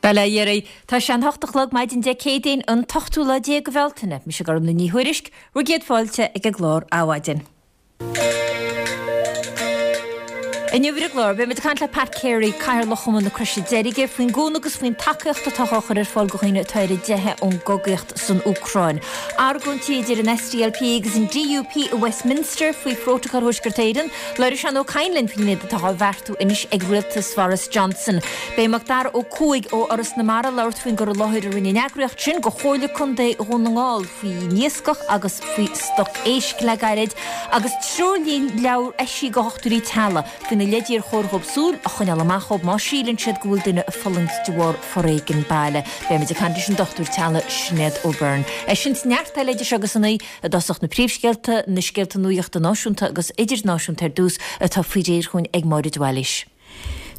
Bail ó Dhia oraibh. Tá sé an hocht a chlog maidin Dé Céadaoin, an t-ochtú lá déag de Bhealtaine. Mise Gormlaith Ní Thuairisg, bhur gcéad fáilte ag an gclár Adhmhaidin. Inniu ar an gclár, beimid ag caint le Pat Carey, Cathaoirleach Chumann na Croise Deirge, faoin gcúnamh agus faoin tacaíocht atá á chur ar fáil do dhaoine atá ar a dteitheadh ón gcogaíocht san Úcráin. Argóintí idir an SDLP agus an DUP i Westminster faoi Phrótacal Thuaisceart Éireann. Labhróidh Seán Ó Cadhain linn faoin méid atá á bheartú anois ag rialtas Bhoris Johnson. Beidh Macdara Ó Cuaig ó Fhoras na Mara ag labhairt faoin gcur i láthair a rinne an eagraíocht sin do Chomhairle Contae Dhún na nGall faoin iascach agus faoi stoc éisc le gairid, agus treoirleabhar eisithe do dhochtúirí teaghlaigh faoi na leidí ar chóir dhóibh súil a choinneáil amach dhóibh má síleann siad go bhfuil duine ag fulaingt de bharr foréigean baile. Beimid ag caint leis an dochtúir teaghlaigh Sinéad O'Byrne. É sin is neart eile idir seo agus a naoi i dtosach na príomhscéalta, na scéalta nuachta náisiúnta agus idirnáisiúnta ar dtús atá faoi réir chugainn ag Máire de Bhailís.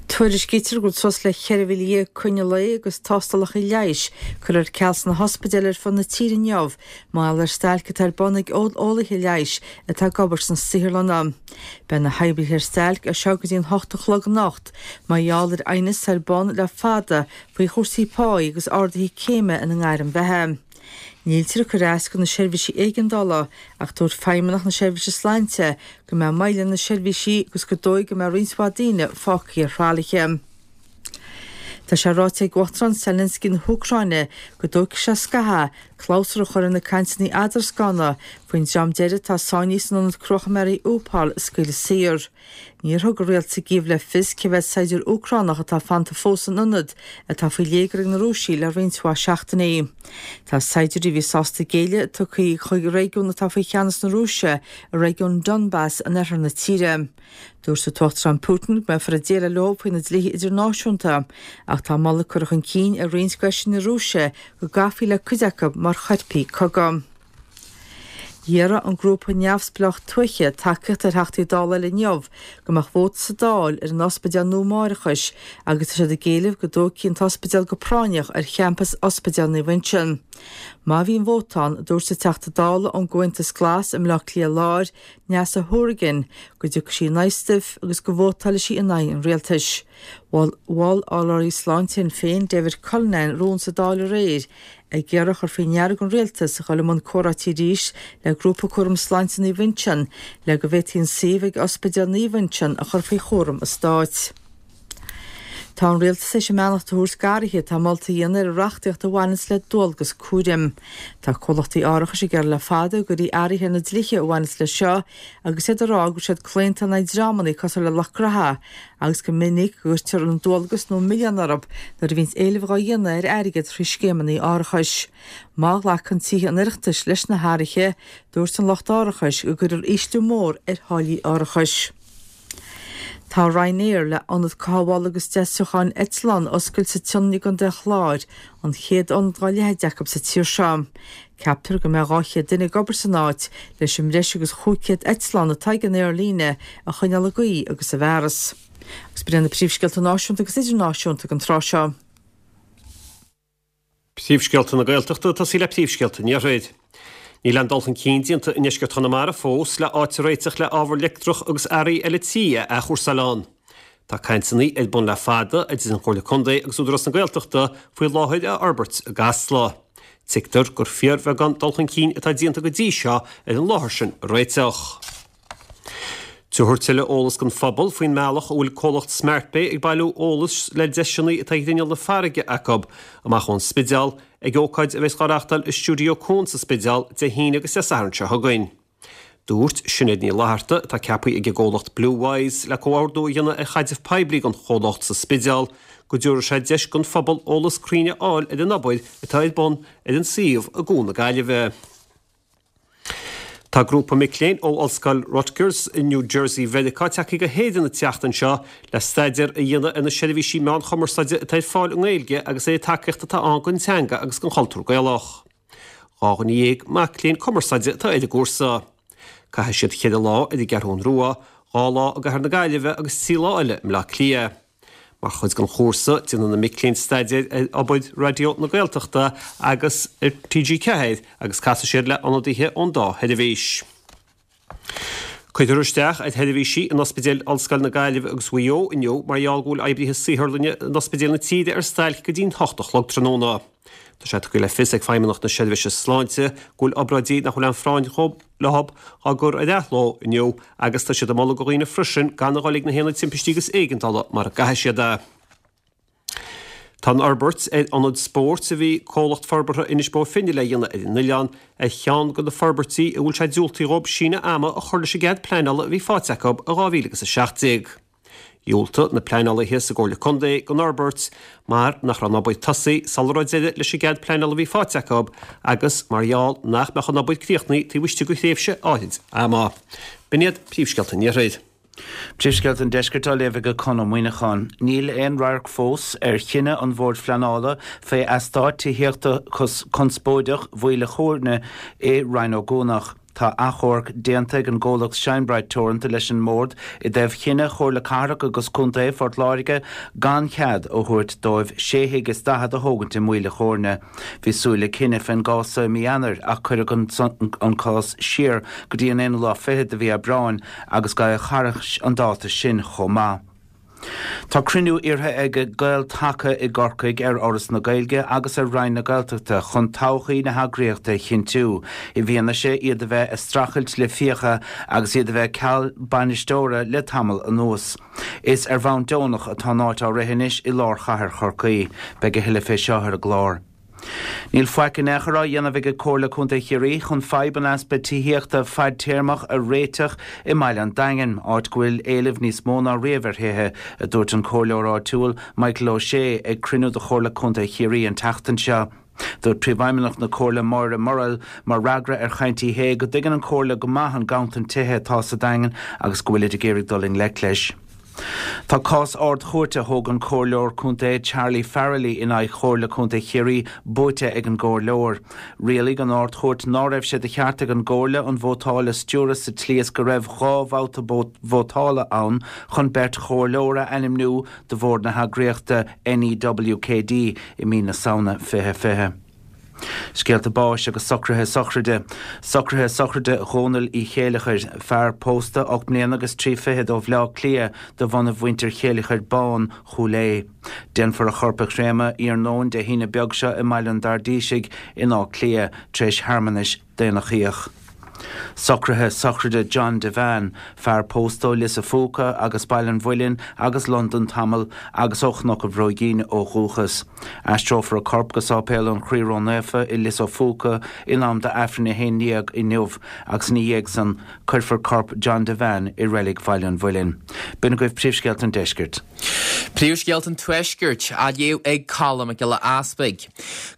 Tuairiscítear go bhfuil suas le 14,000 coinne lae agus tástálacha leighis curtha ar ceal sna hospidéil ar fud na tíre inniu mar gheall ar stailc atá ar bun ag eolaithe leighis atá ag obair sna saotharlanna. Beidh na hoibrithe ar stailc as seo go dtí an hocht a chlog anocht mar gheall ar aighneas atá ar bun le fada faoi chúrsaí páí agus arduithe céime ina ngairm bheatha. Níltear ag cur as do na seirbhísí éigeandála ach dúirt Feidhmeannach na Seirbhíse Sláinte go mbeidh moill ar na seirbhísí agus gur dóigh go mbeidh roinnt mhaith daoine fágtha ar thralaithe. Tá sé ráite ag Uachtarán Zelensky na hÚcráine go dtógfaidh sé scaitheamh clabhsúr a chur ar na cainteanna eadrascána faoin dream deiridh atá sáinnithe san ionad cruach i Mariupol a scaoileadh saor. Níor thug an rialtas i gCív le fios cé mhéad saighdiúir Úcránach atá fanta fós san ionad, atá faoi léigear ag na Rúisigh le roinnt mhaith seachtainí. Tá saighdiúirí a bhí sásta géilleadh tugtha chuig réigiún atá faoi cheannas na Rúise, i réigiún Donbas in oirthear na tíre. Dúirt an tUachtarán Putin go mbeifear ag déileáil leo faoi na dlíthe idirnáisiúnta, ach tá moladh curtha chun cinn ag roinnt d'fheisirí na Rúise go gcaithfí le cuid acu mar choirpigh cogaidh. Iarr an grúpa neamhspleách tuaithe tacaíocht ar Theachtaí Dála eile inniu go mbeadh vóta sa Dáil ar an ospidéal nua máithreachais agus tá siad ag éileamh go dtógfaí an t-ospidéal go práinneach ar champas Ospidéal Naomh Uinseann. Má bhíonn vóta ann, dúirt an Teachta Dála ón gComhaontas Glas i mBleá Cliath Láir, Neasa Hourigan, go dtiocfaidh sí in aghaidh stuif agus go vótálfaidh sí in aghaidh an rialtais. Mhol urlabhraí sláinte Shinn Féin, David Cullinane, rún sa Dáil aréir ag iarraidh a chur faoi ndeara don rialtas a dhul i mbun comhráití arís le Grúpa Cúram Sláinte Naomh Uinseann le go bhféadfaí an suíomh ag Ospidéal Naomh Uinseann a chur faoi chúram an stáit. Tá an rialtas théis a mbeannacht a thabhairt d'athruithe atá molta a dhéanamh ar an reachtaíocht a bhaineanns le dualgas cúraim. Tá comhlachtaí árachais ag iarraidh le fada go gcuirfí athruithe ar na dlíthe a bhaineanns leis seo agus iad ag rá go bhfuil siad claonta in aghaidh dreamanna cosúil le lucht graithe agus gur minic go gcuirtear an dualgas nó milleán orthu nuair a bhíonns éileamh dhá dhéanamh ar airgead thrí scéimeanna árachais. Má ghlacann Tithe an Oireachtais leis na hathruithe, dúirt an lucht árachais go gcuirfear ísliú mór ar tháillí árachais. Tá Ryanair le ionad cothabhála agus deisiúcháin eitleán a oscailt sa tSionainn i gContae an Chláir, an chéad ionad dá leithéid acu sa tír seo. Ceaptar go mbeidh 200 duine ag obair san áit leis an mbreis agus 500 eitleán atá ag an aerlíne a choinneáil i gcaoi agus i bhfearas. Agus b'in iad na príomhscéalta náisiúnta agus idirnáisiúnta ag an tráth seo. Príomhscéalta na Gaeltachta ag tosaí le príomhscéalta an Iarthair. Níl aon dul chun cinn déanta i ndeisceart Chonamara fós le áit a réiteach le ábhar leictreach agus earraí eile tí a athchúrsáil ann. Tá cainteanna ar bun le fada idir an Chomhairle Contae agus Údarás na Gaeltachta faoi láthair a fhorbairt i gCasla. Tuigtear gur fíorbheagán dul chun cinn atá déanta go dtí seo ar an láthair sin a réiteach. Tabharfar tuilleadh eolas don phobal faoin mbealach a bhfuil comhlacht Smartbay ag bailiú eolais le deiseanna atá ag grinneall na farraige acu amach ón Spidéal ag ócáid a bheas á reáchtáil i Stiúideo Cuan sa Spidéal Dé hAoine agus Dé Sathairn seo chugainn. Dúirt Sinéad Ní Fhlatharta, atá ceaptha ag an gcomhlacht Bluewise le comhordú a dhéanamh ar chaidreamh poiblí don chomhlacht sa Spidéal, go dtabharfaidh sé deis don phobal eolas cruinn a fháil ar an obair atá ar bun ar an suíomh i gCuan na Gaillimhe. Tá grúpa mic léinn ó Ollscoil Rutgers i New Jersey Mheiriceá tagtha go hÉirinn an tseachtain seo le staidéar a dhéanamh ar na seirbhísí meán chumarsáide atá ar fáil i nGaeilge agus ar an tacaíocht atá ann don teanga agus don chultúr Gaelach. 12,000 mac léinn cumarsáide atá ar an gcúrsa. Caithfidh siad cheithre lá ar an gCeathrún Rua, 2 lá i gCathair na Gaillimhe agus 3 lá eile i mBleá Cliath. Mar chuid den chúrsa, déanfaidh na mic léinn staidéar ar obair Raidió na Gaeltachta agus ar TG4 agus casfaidh siad le ionadaithe ón dá sheirbhís. Cuirfear isteach ar sheirbhísí in Ospidéil Ollscoil na Gaillimhe agus Mhaigh Eo inniu mar gheall go bhfuil oibrithe saotharlainne in ospidéil na tíre ar stailc go dtí'n hocht a chlog tráthnóna. Tá sé tugtha le fios ag Feidhmeannacht na Seirbhíse Sláinte go bhfuil obráidí nach bhfuil aon phráinn leo á gcur ar athló inniu agus tá siad ag moladh do dhaoine freisin gan a dhul ag na haonaid timpistí agus éigeandála mara gcaithfidh siad é. Tá an fhorbairt ar ionad spóirt a bhí Comhlacht Forbartha Inis Bó Finne le dhéanamh ar an oileán ar cheann de na forbairtí a bhfuil sé diúltaithe dhóibh síneadh ama a chur leis an gcead pleanála a bhí faighte acu i 2017. Dhiúltaigh na pleanálaithe sa gComhairle Contae don fhorbairt mar nach raibh an obair tosaithe sula raibh deireadh leis an gcead pleanála a bhí faighte acu agus mar gheall nach mbeadh an obair críochnaithe taobh istigh de thréimhse áirid ama. B'in iad príomhscéalta an Iarthair. Príomhscéalta an Deiscirt á léamh ag Conn Ó Muíneacháin. Níl aon radharc fós ar chinneadh an Bhoird Phleanála fé eastát tithíochta conspóideach Mhaoil a' Chóirne i Rinn Ó gCuanach. Tá achomharc déanta ag an gcomhlacht Shinebright Teoranta leis an mBord i dtaobh chinneadh Chomhairle Cathrach agus Contae Phort Láirge gan chead a thabhairt dóibh sé thigh is 40 a thógaint i Maoil a' Chóirne. Bhí súil le cinneadh fén gcás so i mí Eanáir ach cuireadh an cás siar go dtí an aonú lá fichead de mhí Aibreáin agus gabhadh thairis an dáta sin chomh maith. Tá cruinniú iarrtha ag Gael Taca i gCorcaigh ar Fhoras na Gaeilge agus ar Roinn na Gaeltachta chun todhchaí na heagraíochta a chinntiú, i bhfianaise iad a bheith ag streachailt le fiacha agus iad a bheith ceal bainisteora le tamall anuas. Is ar bhonn deonach atá an áit á rith anois i lár chathair Chorcaí. Beidh a thuilleadh fé seo ar an gclár. Níl faic in aon chor á dhéanamh ag Comhairle Contae Chiarraí chun fadhb an easpa tithíochta fadtéarmach a réiteach i mbaile an Daingin, áit go bhfuil éileamh níos mó ná riamh ar thithe, a dúirt an Comhairleoir áitiúil Michael O'Shea ag cruinniú de Chomhairle Contae Chiarraí an tseachtain seo. Dúirt Príomhfheidhmeannach na Comhairle Máire Murrell mar fhreagra ar chaint Uí Shé go dtuigeann an Chomhairle go maith an ganntan tithe atá sa Daingean agus go bhfuilid ag iarraidh dul i ngleic leis. Tá cás Ard-Chúirte a thóg an Comhairleoir Contae Charlie Farrelly in aghaidh Chomhairle Contae Chiarraí buaite ag an gComhairleoir. Rialaigh an Ard-Chúirt ná raibh sé de cheart ag an gComhairle an vótáil a stiúradh sa tslí is go raibh 2 bhabhta vótála ann chun beirt chomhairleoir a ainmniú do bhord na heagraíochta NEWKD i mí na Samhna 2020. Scéalta báis agus socruithe sochraide. Socruithe sochraide Dhónaill Uí Chéileachair, fear pósta, 8 mbliana agus 3 fichead ó Bhleá Cliath de bhunadh mhuintir Chéileachair Bán, Chúil Aodha. Déanfar a chorp a chréamadh iarnóin Dé hAoine beag seo i mBaile an Dairdísigh in Áth Cliath, tar éis shearmanais Daonnachaíoch. Socruithe sochraide John Devane, fear pósta ó Lios a' Phúca agus Baile an Mhuilinn agus Londain tamall agus ó Chnoc an Bhróigín ó dhúchas. Aistreofar a corp go Sáipéal an Chroí Ró-Naofa i Lios a' Phúca in am d'Aifreann a 11 inniu agus ina dhiaidh san cuirfear corp John Devane i Reilig Bhaile an Mhuilinn. B'in agaibh príomhscéalta an deiscirt. Príomhscéalta an Tuaiscirt á léamh ag Colm Mac Giolla Easpaig.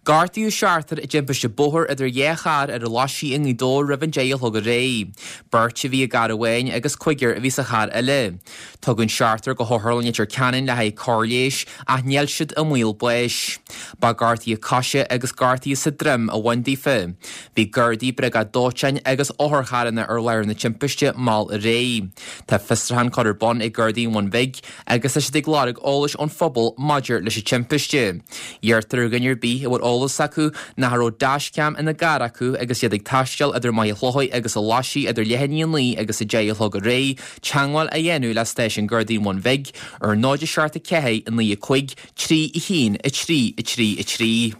Gortaíodh seachtar i dtimpiste bóthair idir dhá charr ar an Laisigh i nGaoth Dobhair roimh an deich a chlog aréir. Beirt a bhí i gcarr amháin agus cúigear a bhí sa charr eile. Tugadh an seachtar go hOtharlann Leitir Ceanainn le haghaidh cóir leighis ach níl siad i mbaol báis. Ba gortuithe coise agus gortuithe sa droim a bhain daofa. Bhí Gardaí, Briogáid Dóiteáin agus otharcharranna ar láthair na timpiste mall aréir. Tá fiosrúchán curtha ar bun ag Gardaí an Bhun Bhig agus tá siad ag lorg eolais ón phobal maidir leis an timpiste. Iarrtar ar dhuine ar bith a bhfuil eolas acu nó a raibh dashcam ina gcarr acu agus iad ag taisteal idir Machaire Chlochair agus an Laisigh idir leath i ndiaidh a 9 agus 10 a chlog aréir teagmháil a dhéanamh le stáisiún Gardaí an Bhun Bhig ar 0 7 4 9 5 3 1 3 3 3.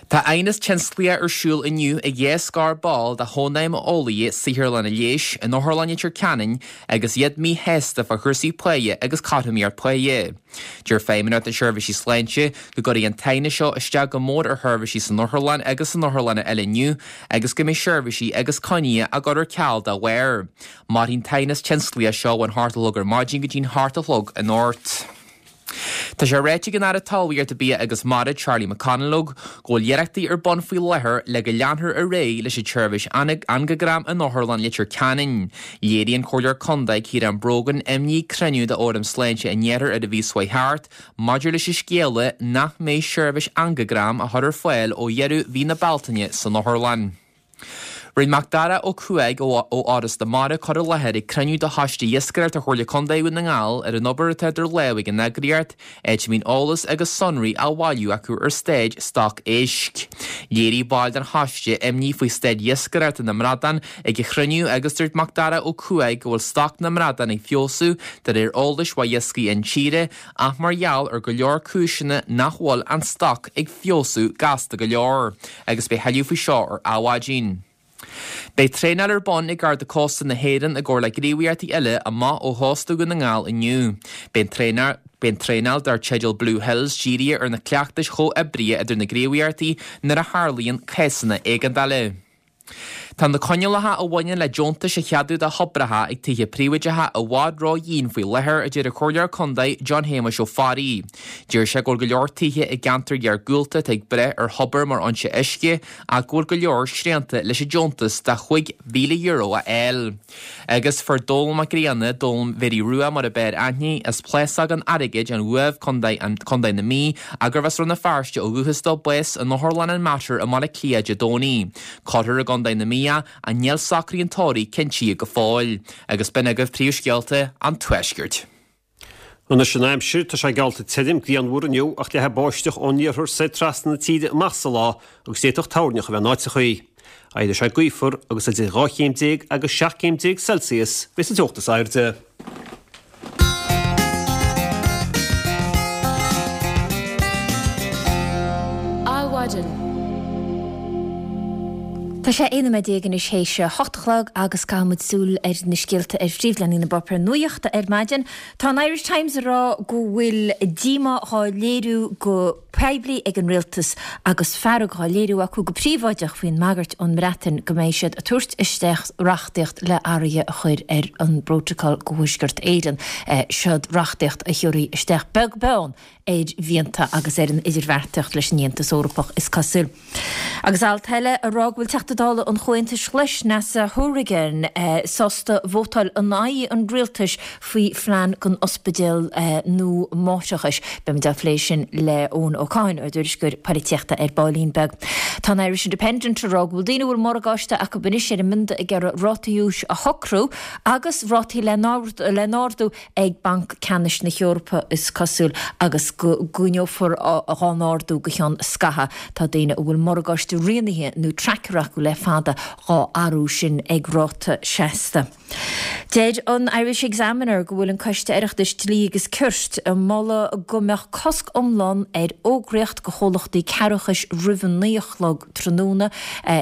Tá aighneas tionsclaíoch ar siúl inniu ag dhá scór ball de Chónaidhm Eolaithe Saotharlanna Leighis in Otharlann Leitir Ceanainn agus iad míshásta fá chúrsaí páighe agus cothromaíocht páighe. Deir Feidhmeannacht na Seirbhísí Sláinte go gcuirfidh an t-aighneas seo isteach go mór ar sheirbhísí san otharlann agus in otharlanna eile inniu agus go mbeidh seirbhísí agus coinní á gcur ar ceal dá bharr. Mairfidh an t-aighneas tionsclaíoch seo ón hocht a chlog ar maidin go dtí'n hocht a chlog anocht. Tá sé ráite ag an Aire Talmhaíochta, Bia agus Mara, Charlie McConalogue, go bhfuil iarrachtaí ar bun faoi láthair le go leanfar ar aghaidh leis an tseirbhís angagram in Otharlann Leitir Ceanainn. Léirigh an Comhairleoir Contae, Ciarán Brogan, imní ag cruinniú de Fhóram Sláinte an Iarthair ar an mhí seo chuaigh thart maidir leis an scéala nach mbeidh seirbhís angagram á chur ar fáil ó dheireadh mhí na Bealtaine san otharlann. Rinne Macdara Ó Cuaig ó Fhoras na Mara cur i láthair ag cruinniú de Choiste Iascaireachta Chomhairle Contae Dhún na nGall ar an obair atá idir lámha ag an eagraíocht, áit a mbíonn eolas agus sonraí á bhailiú acu ar staid stoc éisc. Léirigh baill den choiste imní faoi staid iascaireachta na mbradán ag an chruinniú agus dúirt Macdara Ó Cuaig go bhfuil stoc na mbradán ag feabhsú de réir eolais uaidh Iascaigh Intíre ach mar gheall ar go leor cúiseanna nach bhfuil an stoc ag feabhsú gasta go leor, agus beidh thuilleadh faoi seo ar Adhmhaidin. Beidh traenáil ar bun ag Garda Cósta na hÉireann i gcomhar le gníomhaíochtaí eile amach ó chósta Dhún na nGall inniu. Beidh an Beidh an traenáil dar teideal Blue Hills dírithe ar na cleachtais chomhoibrithe idir na gníomhaíochtaí nuair a tharlaíonn cásanna éigeandála. Tá na coinníollacha a bhaineann le deontais a cheadú do thobracha ag tithe príobháideacha i bhfad ró-dhian faoi láthair, a deir an Comhairleoir Contae John Shéamuis Ó Fearraigh. Deir sé go bhfuil go leor tithe i gceantair iargúlta atá ag brath ar thobar mar fhoinse uisce ach go bhfuil go leor srianta leis an deontas de €5,000 a fháil. Agus fuair Dónall Mac Grianna, Dónall Mhéirí Rua mar a b'fhearr aithne, as Plásóg an Airgid, an Uaimh, Contae Contae na Mí, ach gurbh as Rann na Feirste ó dhúchas dó, bás in Otharlann an Mater i mBaile Átha Cliath Dé Domhnaigh. Cuirfear i gContae na Mí é ach níl socruithe an tórraimh cinntithe go fóill. Agus b'in agaibh príomhscéalta an Tuaiscirt. Anois an aimsir, tá sé geallta tirim, grianmhar inniu ach leathfaidh báisteach ón iarthar soir trasna na tíre amach sa lá agus d'fhéadfadh toirneach a bheith in áiteachaí. Éireoidh sé gaofar agus idir 12 chéim agus 17 céim Celsius a bheidh sa teocht is airde. Adhmhaidin. Tá sé 11 nóiméad anois théis a hocht a chlog agus caithfidh muid súil ar na scéalta ar phríomhleathanaigh na bpáipéar nuachta ar maidin. Tá an Irish Times ag rá go bhfuil díomá dhá léiriú go poiblí ag an rialtas agus fearg dhá léiriú acu go príobháideach faoin mbagairt ón mBreatain go mbeidh siad ag tabhairt isteach reachtaíocht le athruithe a chur ar an bPrótacal go Thuaisceart Éireann. Seod reachtaíocht a thiúrfaidh isteach beag beann ar mhianta agus ar an idirbheartaíocht leis an Aontas Eorpach, is cosúil. Agus alt eile ag rá go bhfuil Teachta Dála an Chomhaontais Ghlais, Neasa Hourigan, sásta vótáil in aghaidh an rialtais faoi phlean don ospidéal nua máithreachais. Beimid á phlé sin le Eoin Ó Cadhain, ár dtuairisceoir polaitíochta ar baillín beag. Tá an Irish Independent ag rá go bhfuil daoine a bhfuil morgáiste acu anois ar an mbionda ag iarraidh rátaí úis a shocrú agus rátaí le n-ardú ag Banc Ceannais na hEorpa, is cosúil, agus go gcoinneofar dhá n-ardú go ceann scaithimh. Tá daoine a bhfuil morgáiste rianaithe nó tracker acu le fada dhá athrú sin ag ráta seasta. Deir an Irish Examiner go bhfuil an Coiste Oireachtais Dlí agus Cirt ag moladh go mbeadh cosc iomlán ar fhógraíocht go chomhlachtaí cearrbhachais roimh a naoi a chlog tráthnóna.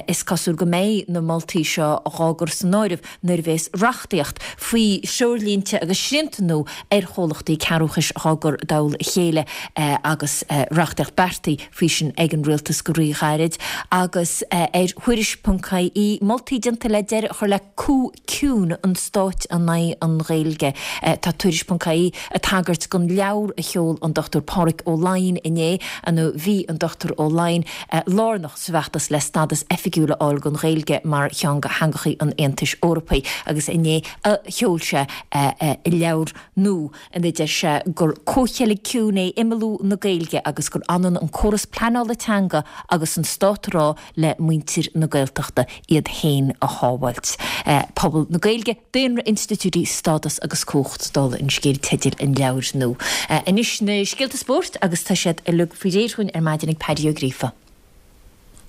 Is cosúil go mbeidh na moltaí seo dhá gcur san áireamh nuair a bhéas reachtaíocht faoi threoirlínte agus srianta nua ar chomhlachtaí cearrbhachais dhá gcur i dtoll a chéile agus reachtaíocht beartaithe faoi sin ag an Rialtas go rí-ghairid agus ar Thuairisc ponc ie moltaí déanta le deireadh a chur le coup ciúin an stáit in aghaidh an Ghaeilge. Tá Tuairisc ponc ie ag tagairt don leabhar a sheol an Dr Pádraig Ó Laighin inné, nó bhí an Dr Ó Laighin lárnach sa bhfeachtas le stadas oifigiúil a fháil don Ghaeilge mar cheann de theangachaí an Aontais Eorpaigh agus inné a sheol sé a leabhar nua ina deir sé gur comhcheilg ciúin é imeallú na Gaeilge agus gur ionann an córas pleanála teanga agus an stát ag rá le muintir na Gaeltachta iad féin a shábháilt. Pobal na Gaeilge, daonra, institiúidí, stádas agus cumhacht, dála an scéil teideal an leabhair nua. Anois na scéalta spóirt agus tá siad uilig faoi réir dhúinn ar maidin ag Paddy Ó Gríofa.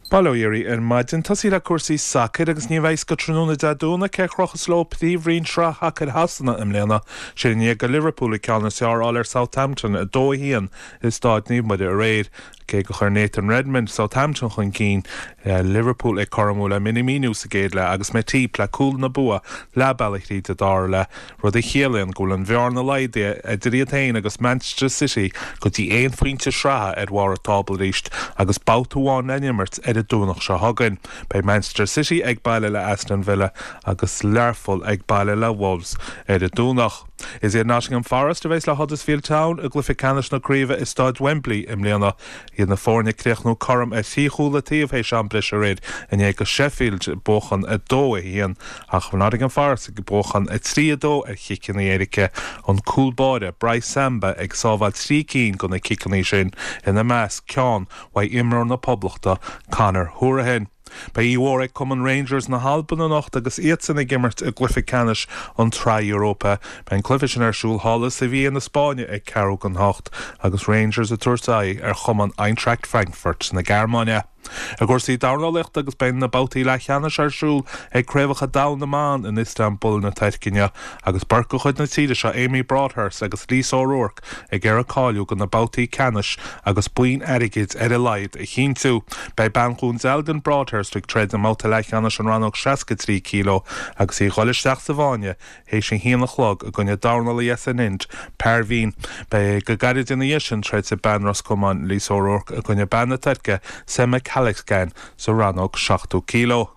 Bail ó Dhia oraibh ar maidin. Tosaí le cúrsaí sacair agus ní bheidh a fhios go tráthnóna Dé Domhnaigh cé a chrochfas leo Príomhroinn Sraith Shacair Shasana i mbliana. Sin i ndiaidh do Liverpool an ceann is fearr a fháil ar Southampton, 2-1, i Stáid Naomh Muire aréir. Cé gur chuir Nathan Redmond Southampton chun cinn, Liverpool ag cothromú le Minamino sa gcéad leath agus Matip le cúl na bua leath bealaigh thríd an dara leath, rud a chiallaíonn go bhfuil an bhearna laghdaithe idir iad féin agus Manchester City go dtí aon phointe sraithe ar bharr an tábla arís agus babhta amháin le n-imirt ar an Domhnach seo chugainn. Beidh Manchester City ag baile le Aston Villa agus Learpholl ag baile le Wolves ar an Domhnach. Is iad Nottingham Forest a bheas le Huddersfield Town i gcluiche ceannais na craoibhe i Staid Wembley i mbliana. Iad na foirne ag críochnú cothrom ar thrí chúl an taobh théis am breise aréir i ndiaidh do Sheffield buachan 2-1 ach Nottingham Forest ag buachan 3-2 ar chiceanna éirice, an cúl báire Brice Samba ag sábháil 3 cinn de na ciceanna sin, ina measc ceann uaidh imreoir na Poblachta Conor Hourihane. Beidh oíche mhór ag cumann Rangers na hAlban anocht agus iadsan ag imirt i gcluiche ceannais an tSraith Europa. Beidh an cluiche sin ar siúl thall i Sevilla na Spáinne ag ceathrú don hocht agus Rangers ag tabhairt aghaidh ar chumann Eintracht Frankfurt na Gearmáine. I gcúrsaí dornálaíochta agus beidh na babhtaí leathcheannais ar siúl ag Craobhacha Domhanda na mBan in Istanbul na Tuirce inniu agus beirt de chuid na tíre seo, Amy Broadhurst agus Lisa O'Rourke, ag iarraidh cáiliú do na babhtaí ceannais agus boinn airgid ar a laghad a chinntiú. Beidh bean Dhún Dealgan, Broadhurst, ag troid i mbabhta leathcheannais an rannóg 63 kg agus í ag dhul isteach sa bhfáinne théis a haon a chlog i gcoinne dornálaí as an Ind, Parveen. Beidh go gairid ina dhiaidh sin troidfidh bean Ros Comáin, Lisa O'Rourke, i gcoinne bean na Tuirce, Sema Caliskan, sa rannóg 70 kg.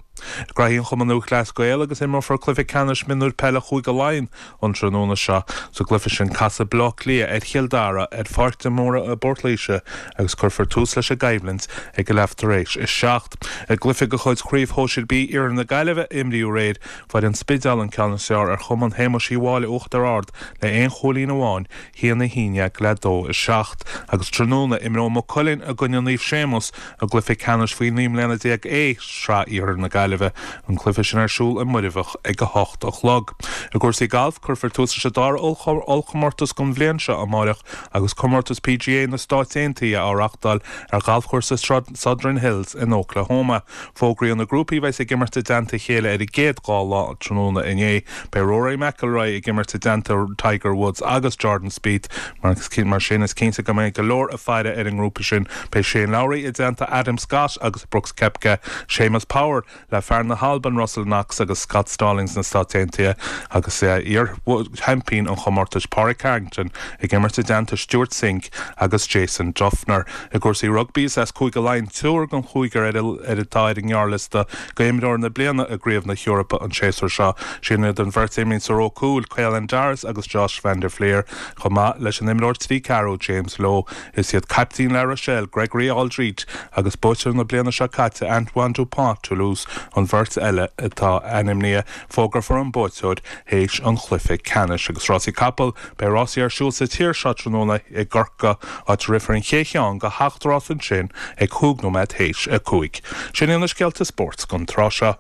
Graithí an Chumann Lúthchleas Gael agus imreofar cluiche ceannais mionúir peile Chúige Laighean an tráthnóna seo. Sa gcluiche sin casfaidh Baile Átha Cliath ar Chill Dara ar Pháirc de Mórdha i bPort Laoise agus cuirfear tús leis an gcoimhlint ag a leath tar éis a 7. I gcluiche de chuid Chraobh Shóisir B Iarthar na Gaillimhe a imríodh aréir, fuair An Spidéal an ceann is fearr ar Chumann Shéamuis Uí Mháille Uachtar Ard le aon chúilín amháin, 1, 11 le 2, 7, agus tráthnóna imreoidh Maigh Cuilinn i gcoinne Naomh Séamus i gcluiche ceannais faoi 19 mbliana A, Sraith Iarthar na Gaillimhe, an cluiche sin ar siúl i Muirbheach ag 8 a chlog. I gcúrsaí gailf, cuirfear tús leis an dara ollchomórtas den bhliain seo amáireach agus comórtas PGA na Stáit Aontaithe á reáchtáil ar ghalfchúrsa Southern Hills in Oklahoma. Fógraíodh na grúpaí a bheas ag imirt i dteannta a chéile ar an gcéad dhá lá tráthnóna inné. Beidh Rory McIlroy ag imirt i dteannta Tiger Woods agus Jordan Spieth. Mar sin, is cinnte go mbeidh go leor ag faire ar an ngrúpa sin. Beidh Shane Lowry i dteannta Adam Scott agus Brooks Koepka, Séamus Power le fear na hAlban Russell Knox agus Scott Stallings na Stáit Aontaithe agus iar-sheaimpín an chomórtais Pádraig Harrington ag imirt i dteannta Stewart Cink agus Jason Dufner. I gcúrsaí rugbaí, is as Cúige Laighean triúr den chúigear ar atá ar an ngearrliosta d'imreoir na bliana i gCraobh na hEorpa an séasúr seo. Sin iad an bheirt a imríonn sa ró cúil, Caelan Doris agus Josh van der Flier, chomh maith leis an imreoir trí ceathrú, James Lowe. Is iad caiptín La Rochelle, Gregory Alldritt, agus buaiteoir na bliana seo caite, Antoine Dupont, Toulouse, an bheirt eile atá ainmnithe. Fógrófar an buaiteoir théis an chluiche ceannais. Agus rásaí capall, beidh rásaí ar siúl sa tír seo tráthnóna i gCorcaigh, áit a rithfear an chéad cheann de sheacht rás ansin ag chúig nóiméad théis a 5. Sin iad na scéalta spóirt don tráth seo.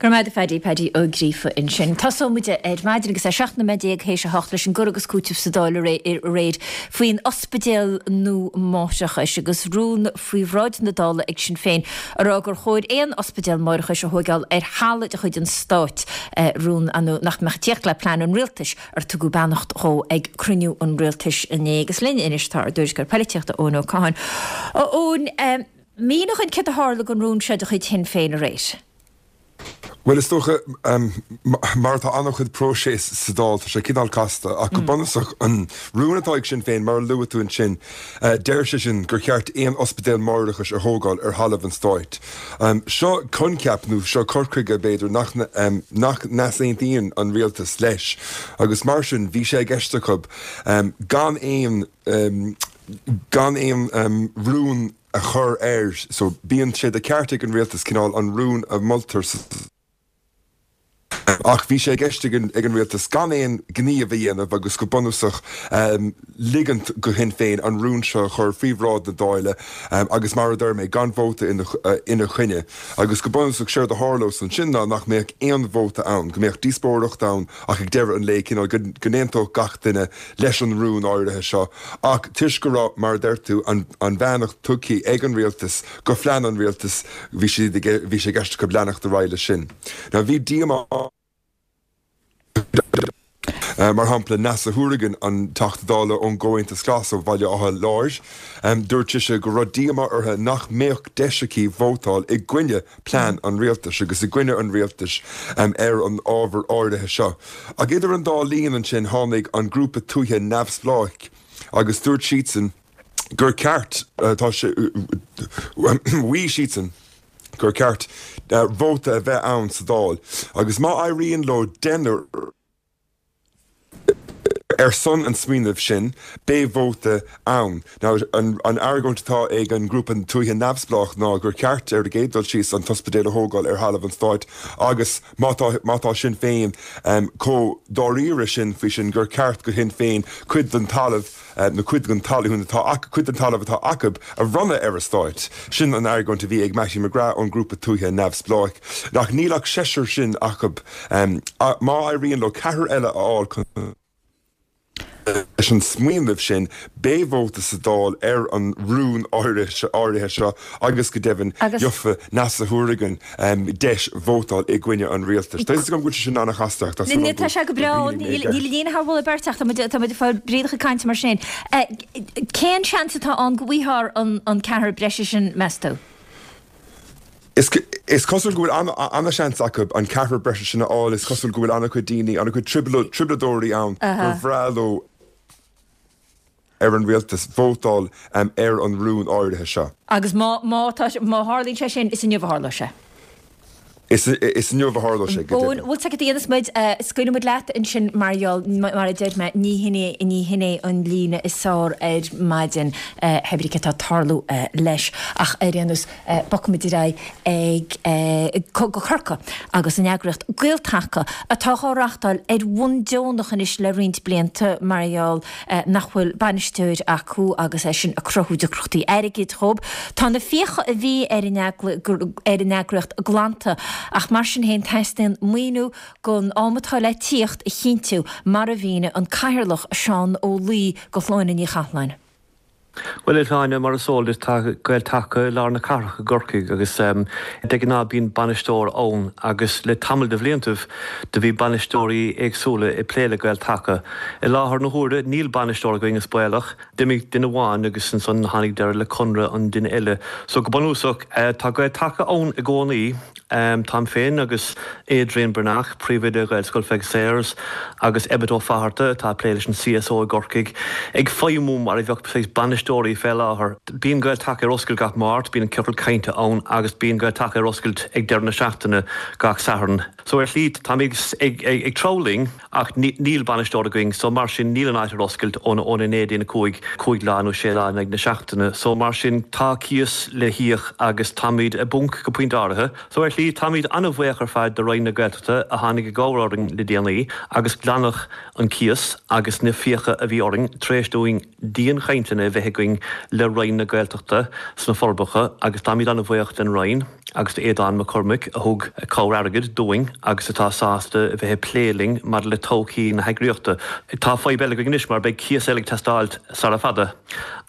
Go raibh maith agat a Phaddy, Paddy Ó Gríofa ansin. Tosóidh muid ar maidin agus é 17 nóiméad théis a hocht leis an gcur agus cúiteamh sa Dáil aréir faoin ospidéal nua máithreachais agus rún faoi bhráid na Dála ag Sinn Féin a rá gur chóir aon ospidéal máithreachais a thóigeáil ar thalamh de chuid an stáit, rún nach mbeadh ag tíocht le plean an rialtais ar tugadh beannacht dhó ag cruinniú an rialtais inné. Agus linn anois tá ár dtuairisceoir poilitíochta Eoin Ó Catháin. A Eoin, mínigh dhúinn céard a tharla don rún seo de chuid Shinn Féin aréir. Bhuel, is dócha, mar atá an-chuid próiseas sa Dáil, tá sé cineál casta, ach go bunúsach, an rún atá ag Sinn Féin, mar a luaigh tú ansin, deir sé sin gur cheart aon ospidéal máithreachais a thógáil ar thalamh an stáit. Seo coincheap, nó seo cur chuige, b'fhéidir, nach nach n-easaontaíonn an rialtas leis, agus mar sin, bhí sé i gceist acu gan aon gan aon rún a chur air. So, bíonn sé de cheart ag an rialtas cineál an rún a mholtar sa. Ach bhí sé i gceist ag an rialtas gan aon ghníomh a dhéanamh agus go bunúsach ligint go Shinn Féin an rún seo a chur faoi bhráid na Dála agus mar a deir mé, gan vóta ina choinne. Agus go bunúsach séard a tharlós ansin ná nach mbeadh aon vóta ann, go mbeadh díospóireacht ann ach ag deireadh an lae cineál go n-aontódh gach duine leis an rún áirithe seo ach toisc go raibh, mar a deir tú, an bheannacht tugtha ag an rialtas go phlean an rialtais, bhí siad, bhí sé i gceist acu leanacht ar aghaidh leis sin. Now bhí díomá mar shampla, Neasa Hourigan, an Teachta Dála ón gComhaontas Glas ó Bhaile Átha Láir, dúirt sise go raibh díomá uirthi nach mbeadh deis aici vótáil i gcoinne plean an rialtais agus i gcoinne an rialtais ar an ábhar áirithe seo. Ach idir an dá linn ansin tháinig an grúpa tuaithe neamhspleách agus dúirt siadsan gur ceart, tá sé, mhaígh siadsan gur ceart vóta a bheith ann sa Dáil agus má éiríonn leo deichniúr. Ar son an smaoinimh sin, beidh vóta ann. Now, an argóint atá ag an ngrúpa tuaithe neamhspleách ná gur ceart, ar an gcéad dul síos, an t-ospidéal a thógáil ar thalamh an stáit agus má tá, má tá Sinn Féin chomh dáiríre sin faoi sin, gur ceart go Shinn Féin cuid den talamh, nó cuid den talún atá acu, cuid den talamh atá acu a bhronnadh ar an stáit. Sin an argóint a bhí ag Mattie McGrath ón ngrúpa tuaithe neamhspleách. Ach níl ach seisear sin acu. Má éiríonn leo ceathrar eile a fháil chun leis an smaoineamh sin, beidh vóta sa Dáil ar an rún áirithe seo agus go deimhin gheofa Neasa Hourigan deis vótáil i gcoinne an rialtais. Tá a fhios agam go bhfuil sé sin an-chasta ach tá súil agam Tá sé go breá, níl an líne thar mholadh beirte ach tá muid ag fáil brídeach ag caint mar sin. Cén seans atá ann go bhfaighfear an ceathrar breise sin, meas tú? Is cosúil go bhfuil an-seans acu an ceathrar breise sin a fháil. Is cosúil go bhfuil an-chuid daoine, an-chuid trioblóideoirí ann gur bhreá leo ar an rialtas vótáil ar an rún áirithe seo. Agus má tharlaíonn sé sin, is inniu a tharlóidh sé. Is inniu a tharlóidh sé, go deimhin. Bhuel, tá a dhéanfas muid, scaoilfidh muid leat ansin mar gheall, mar a deir mé, ní hin é, ní hin é an líne is fearr ar maidin, hé brí cé tá ag tarlú leis. Ach ar aon nós, bogfaimid ar aghaidh ag, go Corcaigh agus an eagraíocht Gael-Taca atá á reachtáil ar bhonn deonach anois le roinnt blianta mar gheall nach bhfuil bainisteoir acu agus é sin ag cruthú deacrachtaí airgid dhóibh. Tá na fiacha a bhí ar an eagraíocht glanta ach mar sin féin teastaíonn maoiniú don am atá le tíocht a chinntiú mar a mhínigh an Cathaoirleach Seán Ó Laoi do Shláine Ní Chathalláin. Bhuel, a Shláine, mar is eol duit, tá Gael-Taca i lár na cathrach i gCorcaigh agus de ghnáth bíonn bainisteoir ann agus le tamall de bhliantaibh do bhí bainisteoirí éagsúla ag plé le Gael-Taca. I láthair na huaire níl bainisteoir againn is baolach. D'imigh duine amháin agus ansan tháinig deireadh le conradh an duine eile. So go bunúsach tá Gael-Taca ann i gcónaí. Táim féin agus Adrian Breathnach, Príomhoide Ghaelscoil Pheig Sayers, agus Emmet Ó Fatharta, atá ag plé leis an CSO i gCorcaigh, ag feidhmiú mar a bheadh saghas bainisteoirí fé láthair. Bíonn Gael-Taca ar oscailt gach Máirt, bíonn an ciorcal cainte ann agus bíonn Gael-Taca ar oscailt ag deireadh na seachtaine gach Satharn. So ar shlí táimid ag treabhadh linn. Ach níl bainisteoir againn so mar sin níl an áit ar oscailt óna 9 dtí an 5, 5 lá nó 6 lá in aghaidh na seachtaine. So mar sin tá cíos le híoc agus táimid i bponc go pointe áirithe. So ar shlí táimid an-bhuíoch ar fad do Roinn na Gaeltachta a tháinig i gcabhair orainn le déanaí agus glanadh an cíos agus na fiacha a bhí orainn tar éis dúinn dianchainteanna a bheith againn le Roinn na Gaeltachta sna Forbacha agus táimid an-bhuíoch den Roinn. agus d'Aodán Mac Cormaic a thug cabhair airgid dúinn agus atá sásta a bheith ag plé linn maidir le todhchaí na heagraíochta. Tá fadhb eile againn anois mar beidh cíos eile ag teastáilt sara fada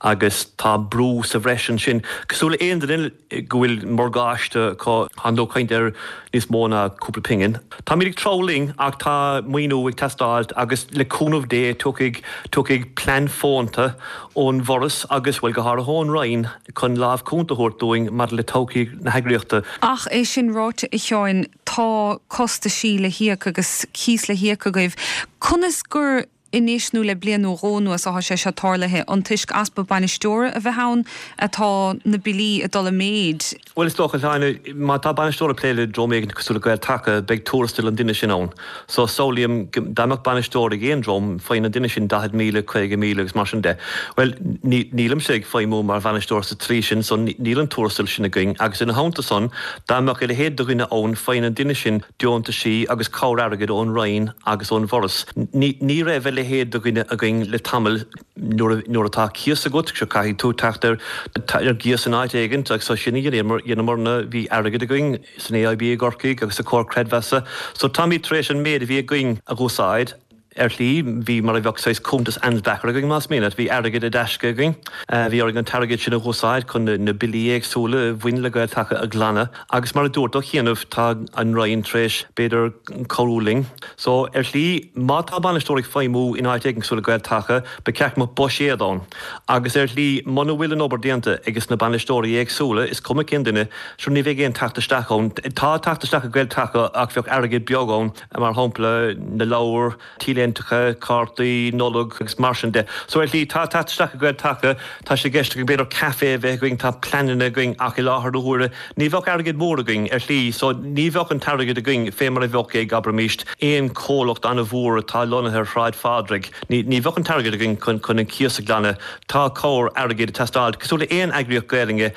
agus tá brú sa bhreis ansin. Cosúil le aon duine go bhfuil morgáiste acu, tá tú ag caint ar níos mó ná cúpla pingin. Táimid ag treabhadh linn ach tá maoiniú ag teastáilt agus le cúnamh Dé tiocfaidh, tiocfaidh plean fónta ón bhForas agus, bhuel, go háirithe ón Roinn, chun lámh cúnta a thabhairt dúinn maidir le todhchaí na heagraíochta. Ach é sin ráite, a Sheáin, tá costaisí le híoc agus cíos le híoc agaibh. Conas gur anois nó le bliain nó dhó anuas atá sé seo tarlaithe? An toisc easpa bainisteora a bheith ann atá na billí ag dul i méid? Bhuel, is dócha, Shláine, má tá bainisteoir ag plé le dream éigin cosúil le Gael-Taca, beidh tuarastal an duine sin ann. So, samhlaím dá mbeadh bainisteoir ag aon dream, faigheann an duine sin 40,000, 50,000 agus mar sin de. Bhuel, nílimse ag feidhmiú mar bhainisteoir sa tslí sin, so níl an tuarastal sin againn. Agus ina theannta san, dá mbeadh a leithéid de dhuine ann, faigheann an duine sin deontaisí agus cabhair airgid ón Roinn agus ón bhForas. Ní raibh a leithéid de dhuine againn le tamall. Nuair atá cíos agat, sure caithfidh tú teacht ar ar gcíos in áit éigint agus so sin a dheineamarna, bhí airgead againn san AIB i gCorcaigh agus sa Comhar Creidmheasa so táimid tar éis an méid a bhí againn a dh'úsáid. Ar shlí, bhí mar a bheadh saghas cuntas Ansbacher againn más mian leat, bhí airgead i dtaisce againn. Bhí orainn an t-airgead sin a dh'úsáid chun na billí éagsúla a bhain le Gael-Taca a ghlanadh agus mar a dúirt ó chianaibh tá an Roinn tar éis b'fhéidir cabhrú linn. So, ar shlí, má tá bainisteoir ag feidhmiú in áit éigin cosúil le Gael-Taca, ba cheart go mbeadh buiséad ann. Agus ar shlí, muna bhfuil an obair déanta ages na bainisteoirí éagsúla, is cuma cén duine, sure ní bheidh aon teacht isteach ann. Tá teacht isteach ag Gael-Taca ach bheadh airgead beag ann, mar shampla, na leabhair, t-léine. léinteacha, cártaí Nollag agus mar sin de. So ar shlí, tá teacht isteach ag Gael Taca, tá sé i gceist againn b'fhéidir caife a bheith againn, tá pleananna againn ach i láthair na huaire ní bheadh airgead mór againn ar shlí so ní bheadh an t-airgead againn fé mar a bheadh ag, abraimis, aon chomhlacht an-mhór atá lonnaithe ar Shráid Phádraig. Ní ní bheadh an t-airgead againn chun chun an cíos a ghlanadh. Tá cabhair airgid ag teastáil, cosúil le aon eagraíocht Gaelainne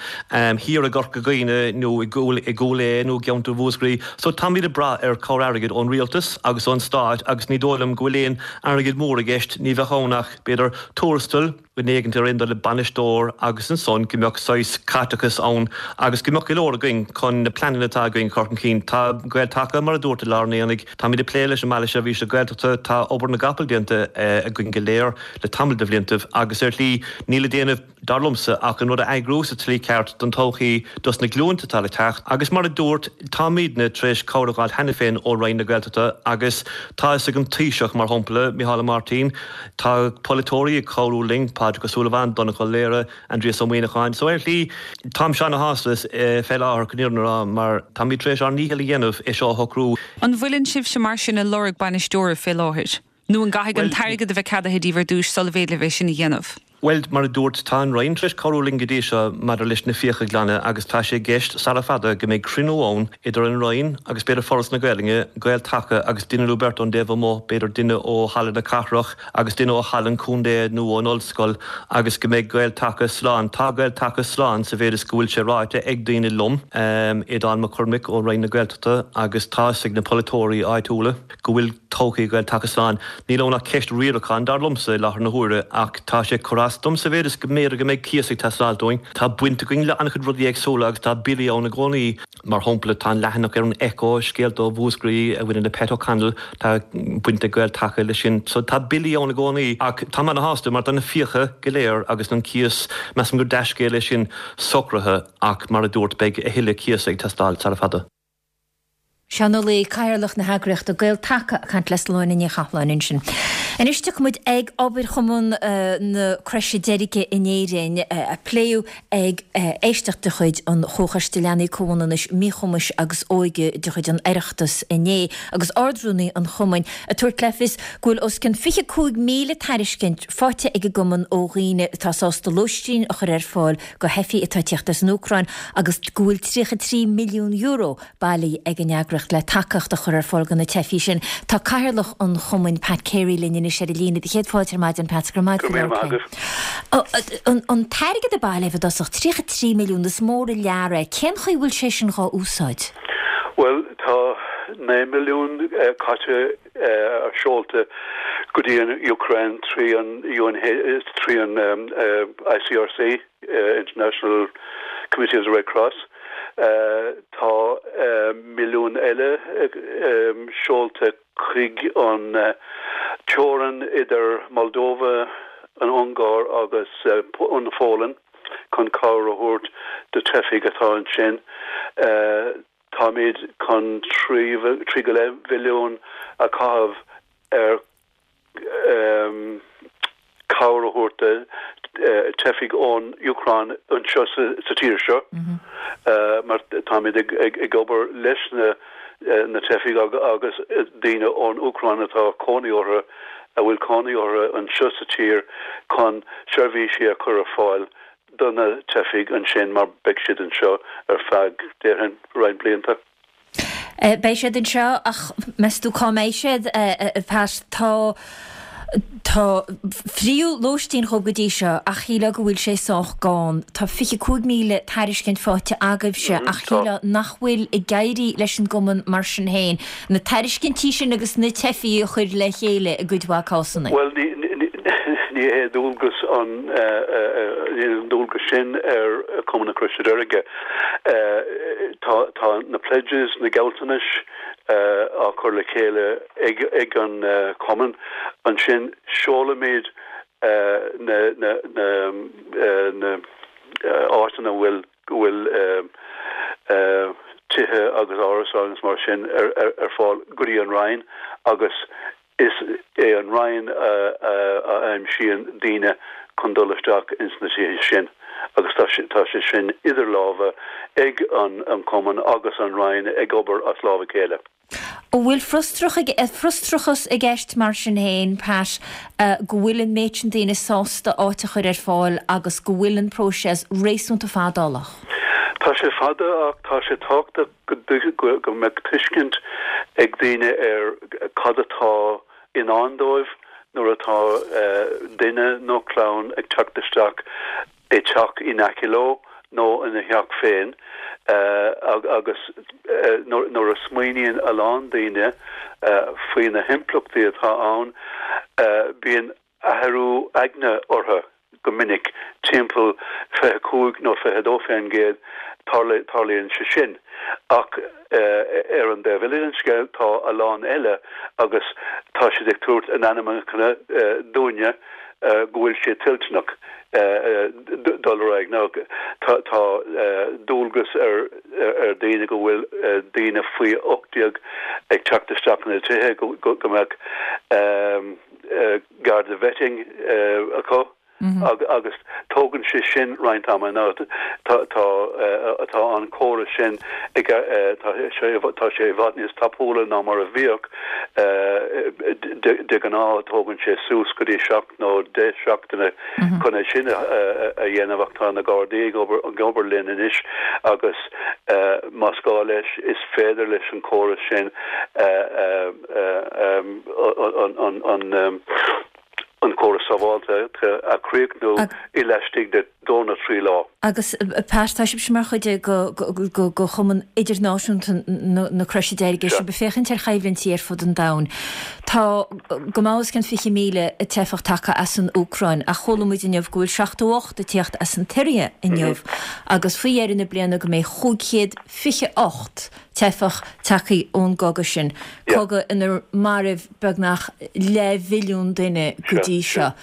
thiar i gCorca Dhuibhne nó i gCúil i gCúil Aodha nó i gceantar Mhúscraí. So táimid ag brath ar chabhair airgid ón rialtas agus ón stát agus ní dóigh liom go bhfuil aon airgead mór i gceist, ní bheadh ann ach, b'fhéidir, tuarastal, duine éigint ar aon dul le bainisteoir agus ansan go mbeadh saghas caiteachas ann agus go mbeadh go leor againn chun na pleananna atá againn a chur chun cinn. Tá Gael Taca, mar a dúirt i lár an aonaigh, táimid ag plé leis an mBaile Seirbhíse Gaeltachta, tá obair na gcapall déanta againn go léir le tamall de bhliantaibh agus ar shlí níl le déanamh, dar liomsa, ach an rud a eagrú sa tslí ceart don todhchaí dos na glúinte atá le teacht. Agus mar a dúirt, táimidne tar éis cabhair a fháil cheana féin ó Roinn na Gaeltachta agus tá fhios ag an Taoiseach, mar shampla, Micheál Ó Máirtín, tá polaiteoirí ag cabhrú linn, Pádraig Ó Súilleabháin, Donncha Ó Laoghaire, Aindrias Ó Muíneacháin. So ar shlí, táimse ana-shásta fé láthair, chun an fhírinne a rá, mar táimid tar éis ár ndícheall a dhéanamh é seo a shocrú. An bhfuileann sibhse mar sin ag lorg bainisteora fé láthair? Nó an gcaithfidh an t-airgead a bheith ceadaithe díbh ar dtúis sula bhféidir libh é sin a dhéanamh? Bhuel, mar a dúirt, tá an Roinn tar éis cabhrú linn go dtí seo maidir leis na fiacha a ghlanadh agus tá sé i gceist sara fada go mbeidh cruinniú ann idir an Roinn agus b'fhéidir Foras na Gaelainne, Gael Taca agus duine nó beirt ón dtaobh amuigh, b'fhéidir duine ó Halla na Cathrach agus duine ó Halla an Chontae nó ón Ollscoil agus go mbeidh Gael Taca slán. Tá Gael Taca slán sa mhéid is go bhfuil sé ráite ag daoine liom, Aodán Mac Cormaic ó Roinn na Gaeltachta agus tá fhios ag na polaiteoirí áitiúla. go bhfuil todhchaí Ghael Taca slán. Níl ann ach ceist riaracháin, dar liomsa, i láthair na huaire, ach tá sé ag cur as dom sa mhéid is go mb'fhéidir go mbeidh cíos ag teastáil dúinn. Tá baint againn le an-chuid rudaí éagsúla agus tá billí ann i gcónaí. Mar shampla, tá an leathanach ar an Echo, Scéalta ó Mhúscraí, a bhaineann le Pat O'Connell, tá baint ag Gael Taca leis sin. So tá billí ann i gcónaí ach táim ana-shásta mar tá na fiacha go léir agus an cíos, measaim gur dea-scéal é sin, socraithe ach mar a dúirt, beidh a thuilleadh cíosa ag teastáil sara fada. Seán Ó Laoi, Cathaoirleach na heagraíochta Gael Taca ag caint le Sláine Ní Chathalláin ansin. Anois tiocfaidh muid ag obair Chumann na Croise Deirge in Éirinn a pléadh ag éisteacht de chuid an Chomhchoiste Leanaí Comhionannais, Míchumais agus Óige de chuid an Oireachtas inné agus Ard-Rúnaí an Chumainn ag tabhairt le fios go bhfuil os cionn 25,000 tairiscint faighte ag an gcumann ó dhaoine atá sásta lóistín a chur ar fáil do theifigh atá ag tíocht as an Úcráin agus go bhfuil €33 milliún bailithe ag an eagraíocht le tacaíocht a chur ar fáil do na teifigh sin. Tá Cathaoirleach an Chumainn, Pat Carey linn anois ar an líne. Céad fáilte ar maidin, Pat. Go raibh maith agat as labhairt linn. An t-airgead a bailíodh i dtosach, 33 milliún, is mór an lear é. Cén chaoi a bhfuil sé sin dhá úsáid? Bhuel, tá 9 milliún caite seolta go dtí an Úcráin trí an trí an ICRC, International Committee of the Red Cross. Tá milliún eile seolta chuig an teorainn idir Moldova, an Ungáir agus an Pholainn chun cabhair a thabhairt do teifigh atá ansin. Táimid chun 3 go leith mhilliún a chaitheamh ar chabhair a thabhairt do teifigh ón Úcráin anseo sa tír seo mar táimid ag obair leis na teifigh agus daoine ón Úcráin atá cónaí orthu, a bhfuil cónaí orthu anseo sa tír chun seirbhísí a chur ar fáil do na teifigh ansin mar beidh siad anseo ar feadh, déarfainn, roinnt blianta. Beidh siad anseo ach meas tú cá mbeidh siad, a Pat? Tá, tá fríothadh lóistín dhóibh go dtí seo ach shílfeá go bhfuil sé sách gann. Tá 25,000 tairiscint faighte agaibhse ach shílfeá nach bhfuil ag éirí leis an gcumann mar sin féin na tairiscintí sin agus na teifigh a chur le chéile i gcuid mhaith cásanna. Bhuel, ní hé dualgas an, níl an dualgas sin ar Chumann na Croise Deirge. Tá, tá na pledges, na gealltanais á cur le chéile ag, ag an Chumann. Ansin seolaimid na, na, na, na áiteanna a bhfuil, go bhfuil tithe agus árasáin agus mar sin ar fáil go dtí an Roinn agus is é an Roinn a aimsíonn daoine chun dul isteach ins na tithe sin agus tá sé sin idir lámha ag an Chumann agus an Roinn ag obair as lámh a chéile. An bhfuil frustrachas i gceist mar sin féin, Pat, go bhfuil an méid sin daoine sásta áit a chur ar fáil agus go bhfuil an próiseas réasúnta fadálach? Tá sé fada ach tá sé tábhachtach go go mbeadh tuiscint ag daoine ar cad atá i ndán dóibh nuair atá duine nó clann ag teacht isteach i dteach in aice leo nó ina theach féin agus nuair a smaoiníonn a lán daoine faoi na himpleachtaí atá ann, bíonn athrú aigne orthu go minic, timpeall 25 nó 22%, tarlaíonn sé sin. Ach ar an dtaobh eile den scéal, tá a lán eile agus tá siad ag tabhairt a n-ainmneacha dúinne go bhfuil siad toilteanach dul ar aghaidh. Now, tá dualgas ar daoine go bhfuil daoine faoi 18 ag teacht isteach ina dtithe go mbeadh Garda vetting acu agus tógann sé sin roinnt ama. Now, tá tá an córas sin ag tá sé tá sé i bhfad níos tapúla ná mar a bhíodh. De ghnáth tógann sé suas go dtí 7 nó 10 seachtaine chun é sin a dhéanamh ach tá na Gardaí ag obair ag obair linn anois agus más gá leis is féidir leis an córas sin an córas sábháilteachta a chríochnú i laistigh de dó nó trí lá. Agus Pat, tá sibhse mar chuid de Chumann Idirnáisiúnta na Croise Deirge, sibh ag féachaint ar choimhlintí ar fud an domhain. Tá go maith os cionn 20,000 teifeach tagtha as an Úcráin ach chuala muid inniu go bhfuil 78 ag tíocht as an tSiria inniu agus faoi dheireadh na bliana go mbeidh 528 teifeach tagtha ón gcogadh sin, cogadh inar maraíodh beagnach leathmhilliún duine go dtí seo.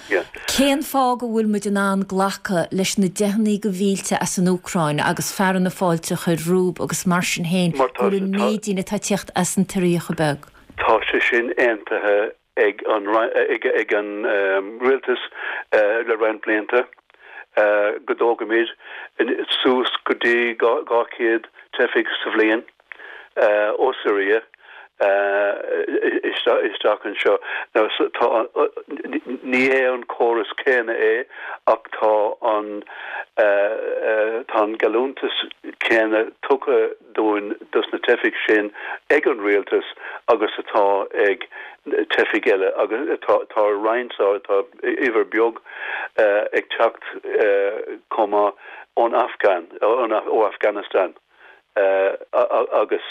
Cén fáth go bhfuil muid in ann glacadh leis na deicheanna de mhílte as an Úcráin agus fearadh na fáilte a chur rompu agus mar sin féin go bhfuil an méid daoine atá ag tíocht as an tSiria chomh beag? Tá sé sin aontaithe ag an ag an rialtas le roinnt blianta go dtógfaimid suas go dtí 200 teifigh sa bhliain ó Siria isteach anseo. Now tá ní hé an córas céanna é ach tá an tá an geallúntas céanna tugtha dúinn dos na teifigh sin ag an rialtas agus atá ag teifigh eile agus tá tá roinnt tá uimhir beag ag teacht chomh maith ón Afghan ó Afghanistan agus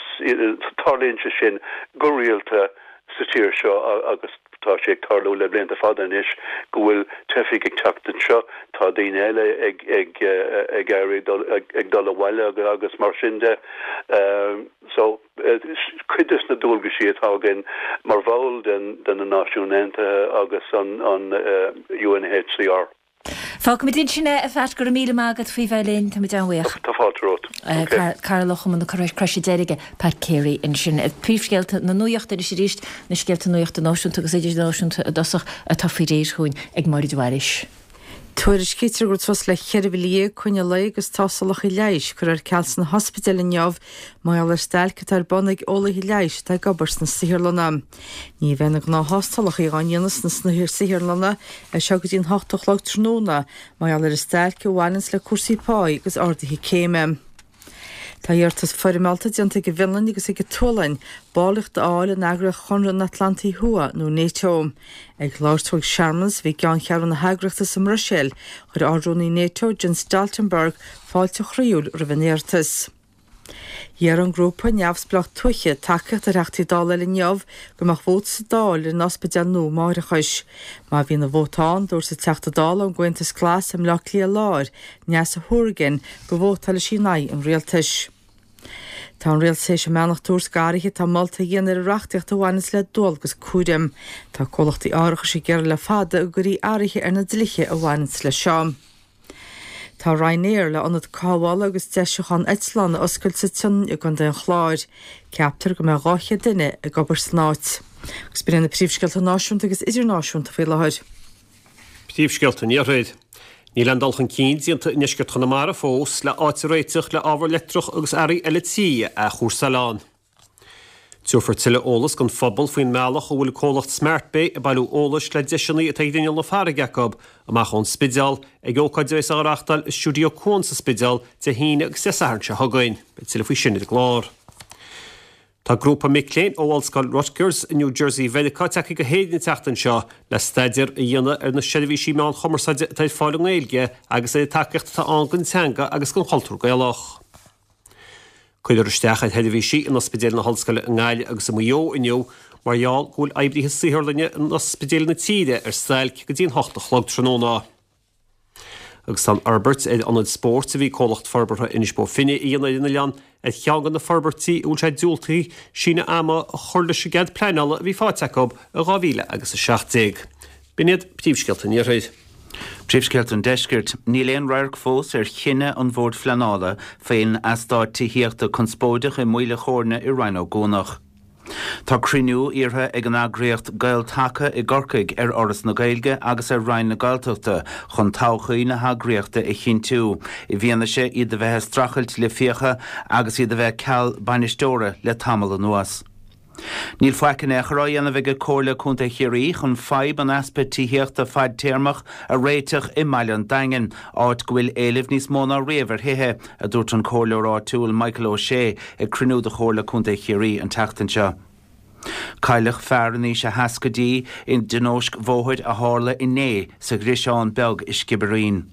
tarlaíonn sé sin go rialta sa tír seo agus tá sé ag tarlú le blianta fada anois go bhfuil teifigh ag teacht anseo, tá daoine eile ag ag ag éirí ag dul abhaile agus mar sin de. So cuid des na dualgaisí atá againn mar bhall den de na Náisiúin Aontaithe agus an an UNHCR. Fágfaimid ansin é, a Phat, go raibh míle maith agat faoi bheith linn, táimid an-bhuíoch. Tá fáilte romhat. Ok. Cathaoirleach Chumann na Croise Deirge, Pat Carey ansin. Príomhscéalta na nuachta anois arís, na scéalta nuachta náisiúnta agus idirnáisiúnta i dtosach atá faoi réir chugainn ag Máire de Bhailís. Tuairiscítear go raibh suas le 14,000 coinne lae agus tástálacha leighis curtha ar ceal sna hospidéil inniu mar gheall ar stailc atá ar bun ag eolaithe leighis atá ag obair sna saotharlanna. Ní bheidh na gnáth-thástálacha á ndéanamh sna saotharlanna as seo go dtí an hocht a chlog tráthnóna mar gheall ar an stailc a bhaineanns le cúrsaí páí agus arduithe céime. Tá iarratas foirmeálta déanta ag an bhFionlainn agus ag an tSualainn ballraíocht a fháil in eagraíocht Chonradh na hAtlantaí Thuaidh nó NATO. Ag labhairt dó ag searmanas a bhí i gceanncheathrú na heagraíochta sa mBruiséil, chuir Ard-Rúnaí NATO, Jens Stoltenberg, fáilte chroíúil roimh an iarratas. Iarr an grúpa neamhspleách tuaithe tacaíocht ar Theachtaí Dála eile inniu go mbeadh vóta sa Dáil ar an ospidéal nua máithreachais. Má bhíonn an vóta ann, dúirt an Teachta Dála ón gComhaontas Glas i mBleá Cliath Láir, Neasa Hourigan, go vótálfaidh sí in aghaidh an rialtais. Tá an rialtas théis a mbeannacht a thabhairt d'athruithe atá molta a dhéanamh ar an reachtaíocht a bhaineanns le dualgas cúraim. Tá comhlachtaí árachais ag iarraidh le fada go gcuirfí athruithe ar na dlíthe a bhaineanns leis seo. Tá Ryanair le ionad cothabhála agus deisiúcháin eitleán a oscailt sa tSionainn i gContae an Chláir. Ceaptar go mbeidh 200 duine ag obair san áit. Agus b'in iad na príomhscéalta náisiúnta agus idirnáisiúnta faoi láthair. Príomhscéalta an Iarthair. Níl aon dul chun cinn déanta i ndeisceart Chonamara fós le áit a réiteach le ábhar leictreach agus earraí eile tí a athchúrsáil ann. Tabharfar tuilleadh eolas don phobal faoin mbealach a bhfuil comhlacht Smartbay ag bailiú eolais le deiseanna atá ar inneall na farraige acu amach ón Spidéal ag ócáid a bheas á reáchtáil i Stiúideo Cuan sa Spidéal Dé hAoine agus Dé Sathairn seo chugainn. Beidh tuilleadh faoi sin ar an gclár. Tá grúpa mic léinn ó Ollscoil Rutgers i New Jersey Mheiriceá tagtha go hÉirinn an tseachtain seo le staidéar a dhéanamh ar na seirbhísí meán chumarsáide atá ar fáil i nGaeilge agus ar an tacaíocht atá ann don teanga agus don chultúr Gaelach. Cuirfear isteach ar sheirbhísí in ospidéil na hOllscoile i nGaillimh agus i Maigh Eo inniu mar gheall go bhfuil oibrithe saotharlainne in ospidéil na tíre ar stailc go dtí an 8 a chlog tráthnóna. Agus tá an fhorbairt ar ionad spóirt a bhí comhlacht forbartha Inis Bó Finne a dhéanamh ar an oileán ar cheann de na forbairtí a bhfuil sé diúltaithe síneadh ama a chur leis an gcead pleanála a bhí faighte acu i 2017. B'in iad príomhscéalta an Iarthair. Príomhscéalta an Deiscirt. Níl aon radharc fós ar chinneadh an Bhoird Phleanála faoin eastát tithíochta conspóideach i Maoil a' Chóirne i Rinn Ó gCuanach. Tá cruinniú iarrtha ag an eagraíocht Gael Taca i gCorcaigh ar Fhoras na Gaeilge agus ar Roinn na Gaeltachta chun todhchaí na heagraíochta a chinntiú, i bhfianaise iad a bheith ag streachailt le fiacha agus iad a bheith ceal bainisteora le tamall anuas. Níl faic in aon chor á dhéanamh ag Comhairle Contae Chiarraí chun fadhb an easpa tithíochta fadtéarmach a réiteach i mbaile an Daingin, áit go bhfuil éileamh níos mó ná riamh ar thithe, a dúirt an comhairleoir áitiúil Michael Ó Sé ag cruinniú de Chomhairle Contae Chiarraí an tseachtain seo. Cailleadh fear in aois a sheascaidí i dtionóisc bhóthair a tharla inné sa Ghriosán Beag i Sciobairín.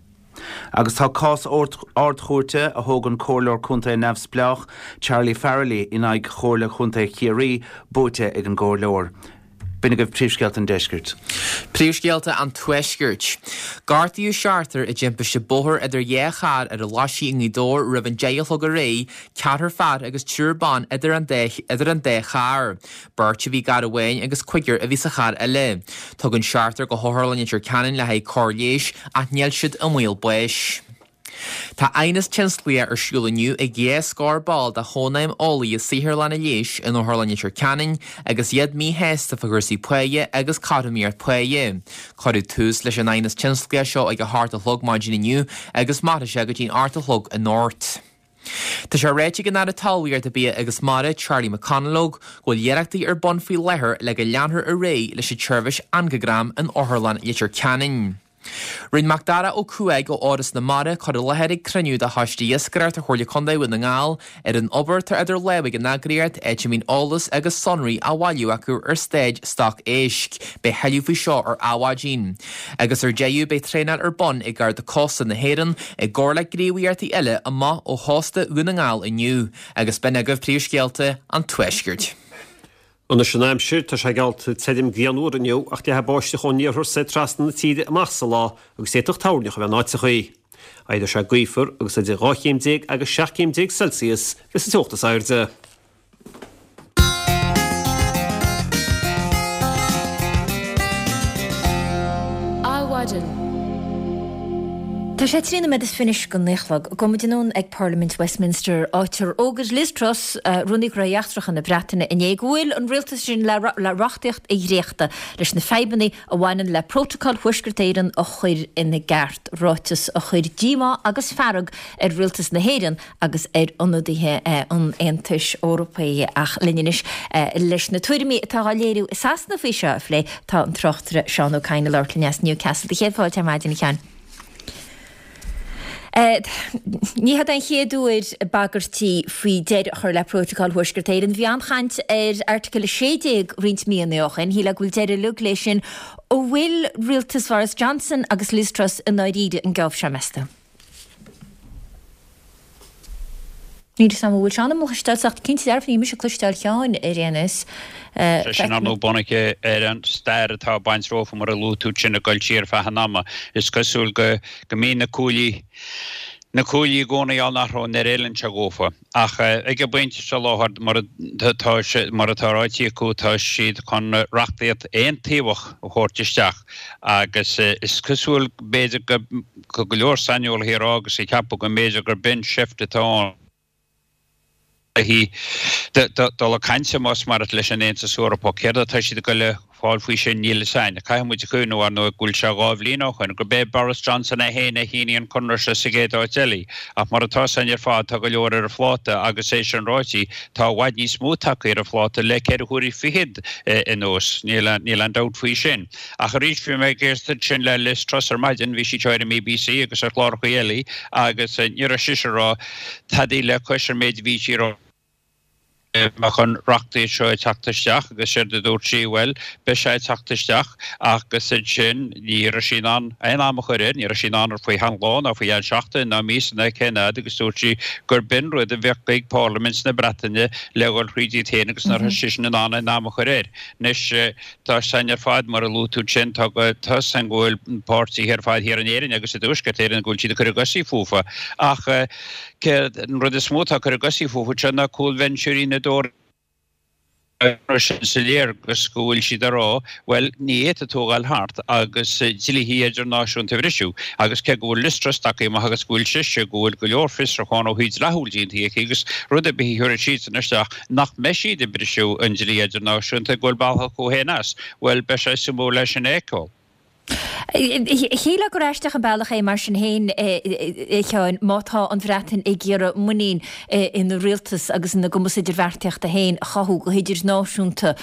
Agus tá cás Ard-Chúirte a thóg an comhairleoir contae neamhspleách Charlie Farrelly in aghaidh Chomhairle Chontae Chiarraí buaite ag an gcomhairleoir. B'in agaibh príomhscéalta an deiscirt. Príomhscéalta an Tuaiscirt. Gortaíodh seachtar i dtimpiste bóthair idir dhá charr ar an Laisigh i nGaoth Dobhair roimh an 10 a chlog aréir, ceathrar fear agus triúr ban idir an idir an dá charr. Beirt a bhí i gcarr amháin agus cúigear a bhí sa charr eile. Tugadh an seachtar go hOtharlann Leitir Ceanainn le haghaidh cóir leighis ach níl siad i mbaol báis. Tá aighneas tionsclaíoch ar siúl inniu ag dhá scór ball de Chónaidhm Eolaithe Saotharlanna Leighis in Otharlann Leitir Ceanainn agus iad míshásta fá chúrsaí páighe agus cothromaíocht páighe. Cuireadh tús leis an aighneas tionsclaíoch seo ag a hocht a chlog maidin inniu agus mairfidh sé go dtí'n ocht a chlog anocht. Tá sé ráite ag an Aire Talmhaíochta, Bia agus Mara, Charlie McConalogue, go bhfuil iarrachtaí ar bun faoi láthair le go leanfar ar aghaidh leis an tseirbhís Angagram in Otharlann Leitir Ceanainn. Rinne Macdara Ó Cuaig ó Fhoras na Mara cur i láthair ag cruinniú de Choiste Iascaireachta Chomhairle Contae Dhún na nGall ar an obair atá idir lámha ag an eagraíocht, áit a mbíonn eolas agus sonraí á bhailiú acu ar staid stoc éisc. Beidh thuilleadh faoi seo ar Adhmhaidin. Agus ar deireadh beidh traenáil ar bun ag Garda Cósta na hÉireann i gcomhar le gníomhaíochtaí eile amach ó chósta Dhún na nGall inniu. Agus b'in agaibh príomhscéalta an Tuaiscirt. Anois an aimsir, tá sé geallta tirim grianmhar inniu ach leathfaidh báisteach ón iarthar soir trasna na tíre amach sa lá agus d'fhéadfadh toirneach a bheith in áiteachaí. Éireoidh sé gaofar agus idir 12 chéim agus 17 céim Celsius a bheas an teocht is airde. Adhmhaidin. Tá sé 13 nóiméad is fiche anois go naoi a chlog. Gabhfaidh muid anonn ag Parlaimint Westminster, áit ar fhógair Liz Truss, Rúnaí Gnóthaí Eachtracha na Breataine, inné go bhfuil an rialtas sin le reachtaíocht a dhréachtadh leis na fadhbanna a bhaineann le Prótacal Thuaisceart Éireann a chur ina gceart, ráiteas a chuir díomá agus fearg ar rialtas na hÉireann agus ar ionadaithe an Aontais Eorpaigh. Ach linn anois leis na tuairimí atá á léiriú i Sasana faoi seo a phlé, tá an tráchtaire Seán Ó Cadhain ag labhairt linn as Newcastle. Do chéad fáilte ar maidin, a Sheáin. Ní hé an chéad uair bagairtí faoi deireadh a chur le Prótacal Thuaisceart Éireann. Bhí an-chaint ar Airteagal 16 roinnt míonna ó shin. Shílfeá go bhfuil deireadh uilig léi sin. An bhfuil rialtas Boris Johnson agus Liz Truss i ndáiríre an geábh seo, meas tú? Níl 'fhios a'm an bhfuil Seán a'm a chloisteáil ach cinnte dearfa níl mise ag cloisteáil Sheáin ar aon nós. Sé sin ar ndóigh bunaithe ar an stair atá ag baint leofa mar a luaigh tú sin ag dul siar feadh an ama. Is cosúil go go mbíonn na cuaillí na cuaillí i gcónaí á n-athrú nuair a fheileann sé dhófa. Ach ag an bpointe seo láthair mar atá sé mar atá ráite acu tá siad chun reachtaíocht aontaobhach a thabhairt isteach agus is cosúil b'fhéidir go Tá go leor saineolaithe ag rá agus ag ceapadh go mb'fhéidir gurb in seift atá ann le dul ag caint más maith leat leis an Aontas Eorpach. Céard atá siad ag dul a fáil faoi sin, níl fhios a'inn. Caithfidh muid a chuimhniú, ar ndóigh, go bhfuil sé 2 bhliain ó shoin gurb é Boris Johnson é féin a shínigh an conradh seo sa gcéad áit eile. Ach mar atá 'fhios a'inn ar fad, tá go leor ar a phláta agus é sin ráite, tá i bhfad níos mó tagtha ar a phláta le ceithre huaire fichead anuas, níl aon dabht faoi sin. Ach arís, bhí mé ag éisteacht ansin le Liz Truss ar maidin, bhí sí ar an mBBC agus ar chláracha eile agus ní raibh sise ag rá tadaí le cois an méid a bhí sí ag rá. mbeadh an reachtaíocht seo ag teacht isteach agus séard a dúirt sí, bhuel, beidh sé ag teacht isteach agus ansin ní raibh sí in ann aon am a chur air, ní raibh sí in ann faoi cheann lá ná faoi cheann seachtain ná míosa ná cén fhad agus dúirt sí gur b'in rud a bheadh ag Parlaimint na Breataine le dhul thríd iad féin agus nach raibh sise in ann aon am a chur air. Anois, tá 'fhios a'inn ar fad, mar a luaigh tú ansin, tá 'fhios a'inn go bhfuil páirtithe ar fad thiar in Éirinn agus i dTuaisceart Éireann go bhfuil siad ag cur a gcosaí fúfa ach Céard an rud is mó atá ag cur a gcosaí fúthu seo ná cúlbhinseoirí na dTóraithe sin sa léargas go bhfuil siad ag rá, bhuel, ní fhéadfaidh tú a dhul thart agus dlíthe idirnáisiúnta a bhriseadh. Agus cé go bhfuil Liz Truss tagtha amach agus go bhfuil sise, go bhfuil go leor fiosrúchán ó thaobh dleathúil déanta aici agus rud ar bith a thiúrfaidh siadsan isteach nach mbeidh siad ag briseadh an dlí idirnáisiúnta, go bhfuil bealach acu féin as, bhuel, beidh sé suimiúil é sin a fheiceáil. Shílfeá gur aisteach an bealach é mar sin féin, a Sheáin, má tá an Bhreatain ag iarraidh muinín ina rialtas agus ina gcumas idirbheartaíochta féin a chothú go hidirnáisiúnta,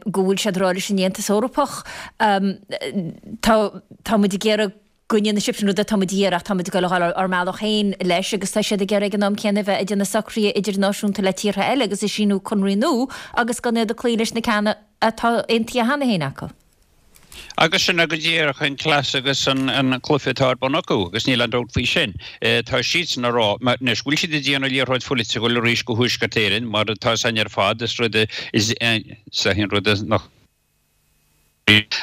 go bhfuil siad ag rá leis an Aontas Eorpach, tá, tá muid ag iarraidh go ndéanfaidh sibhse an rud atá muid a iarraidh ach tá muid ag dul a dhul ár mbealach féin leis agus tá siad ag iarraidh ag an am céanna a bheith ag déanamh socruithe idirnáisiúnta le tíortha eile agus ag síniú conraí nua agus gan iad ag cloí leis na ceanna atá aontaithe cheana féin acu. Agus sin é go díreach an cleas agus an cluiche atá ar bun acu, agus níl aon dabht faoi sin. Tá siadsan ag rá, anois, go bhfuil siad ag déanamh liathróid pholaitiúil arís go Thuaisceart Éireann, mar atá 'fhios a'inn ar fad, is rud is é an rud nach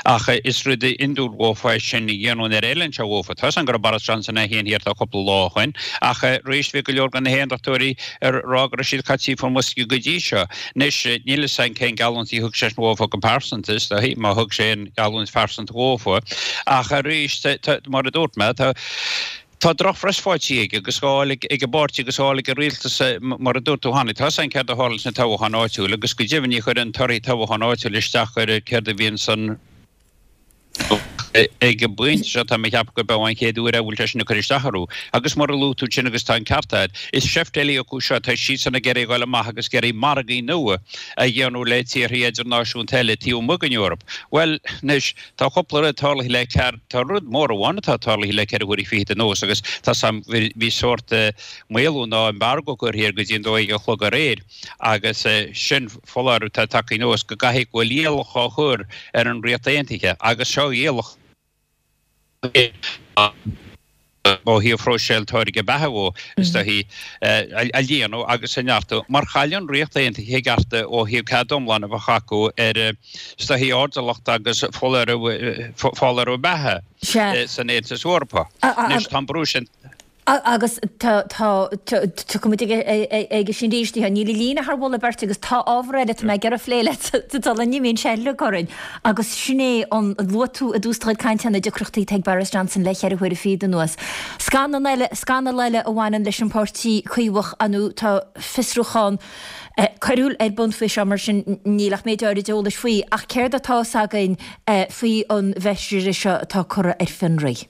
Ach is rud iondúil dhófa é sin a dhéanamh nuair a fheileann sé dhófa. Tá 'fhios a'inn go raibh Boris Johnson é féin thiar tá cúpla lá ó shoin, ach arís bhí go leor de na hAondachtóirí ag rá go raibh siad caite faoin mbosca go dtí seo. Anois, níl 'fhios a'inn cén geallúint a thug seisean dhófa go pearsanta, is dóichí, má thug sé aon gheallúint phearsanta dhófa. Ach arís, mar a dúirt mé, tá tá drochphress faighte aige agus á fháil ag an bpáirtí agus á fháil ag an rialtas, mar a dúirt tú cheana. Tá 'fhios a'inn céard a tharla sna toghcháin áitiúil agus go deimhin ní chuireann torthaí toghcháin áitiúil isteach ar céard a bhíonn san Ag an bpointe seo, tá mé ag ceapadh gurb é an chéad uair é a bhfuil sé sin ag cur isteach orthu. Agus mar a luaigh tú ansin, agus tá an ceart agat, is seift eile acu seo, tá siadsan ag iarraidh a dhul amach agus ag iarraidh margaí nua a dhéanamh le tíortha idirnáisiúnta eile taobh amuigh den Eoraip. Bhuel, anois, tá cúpla rud tarlaithe le cear, tá rud mór amháin atá tarlaithe le ceithre huaire fichead anuas agus tá 's a'm, bhí sórt maolú ná embargo curtha air go dtí an 12 a chlog aréir. Agus sin foláireamh atá tagtha anuas go gcaithfidh go bhfuil iallach á chur ar an Ríocht Aontaithe agus seo iallach ó thaobh phróiseáil táirge beatha dhó, is dóichí, a líonadh agus a neartú mar chaill an Ríocht Aontaithe a gcearta ó thaobh cead iomlán a bheith acu ar, is dóichí, ardiallacht agus foláireamh beatha san Aontas Eorpach. Anois tá an brú sin. Agus tá, tá, tiocfaidh muid aige sin arís, níl an líne thar mholadh beirte agus tá ábhar eile atá mé ag iarraidh a phlé leat sula n-imíonn sé uilig orainn. Agus sin é an, luaigh tú i dtús do chuid cainte na deacrachtaí atá ag Boris Johnson le cheithre huaire fichead anuas. Scannal eile, scannal eile a bhaineann leis an bpáirtí Caomhach, ar ndóigh tá fiosrúchán coiriúil ar bun faoi seo mar sin níl ach méid áirid eolais faoi. Ach céard atá fhios againn faoi an bhfeisire seo atá curtha ar fionraí?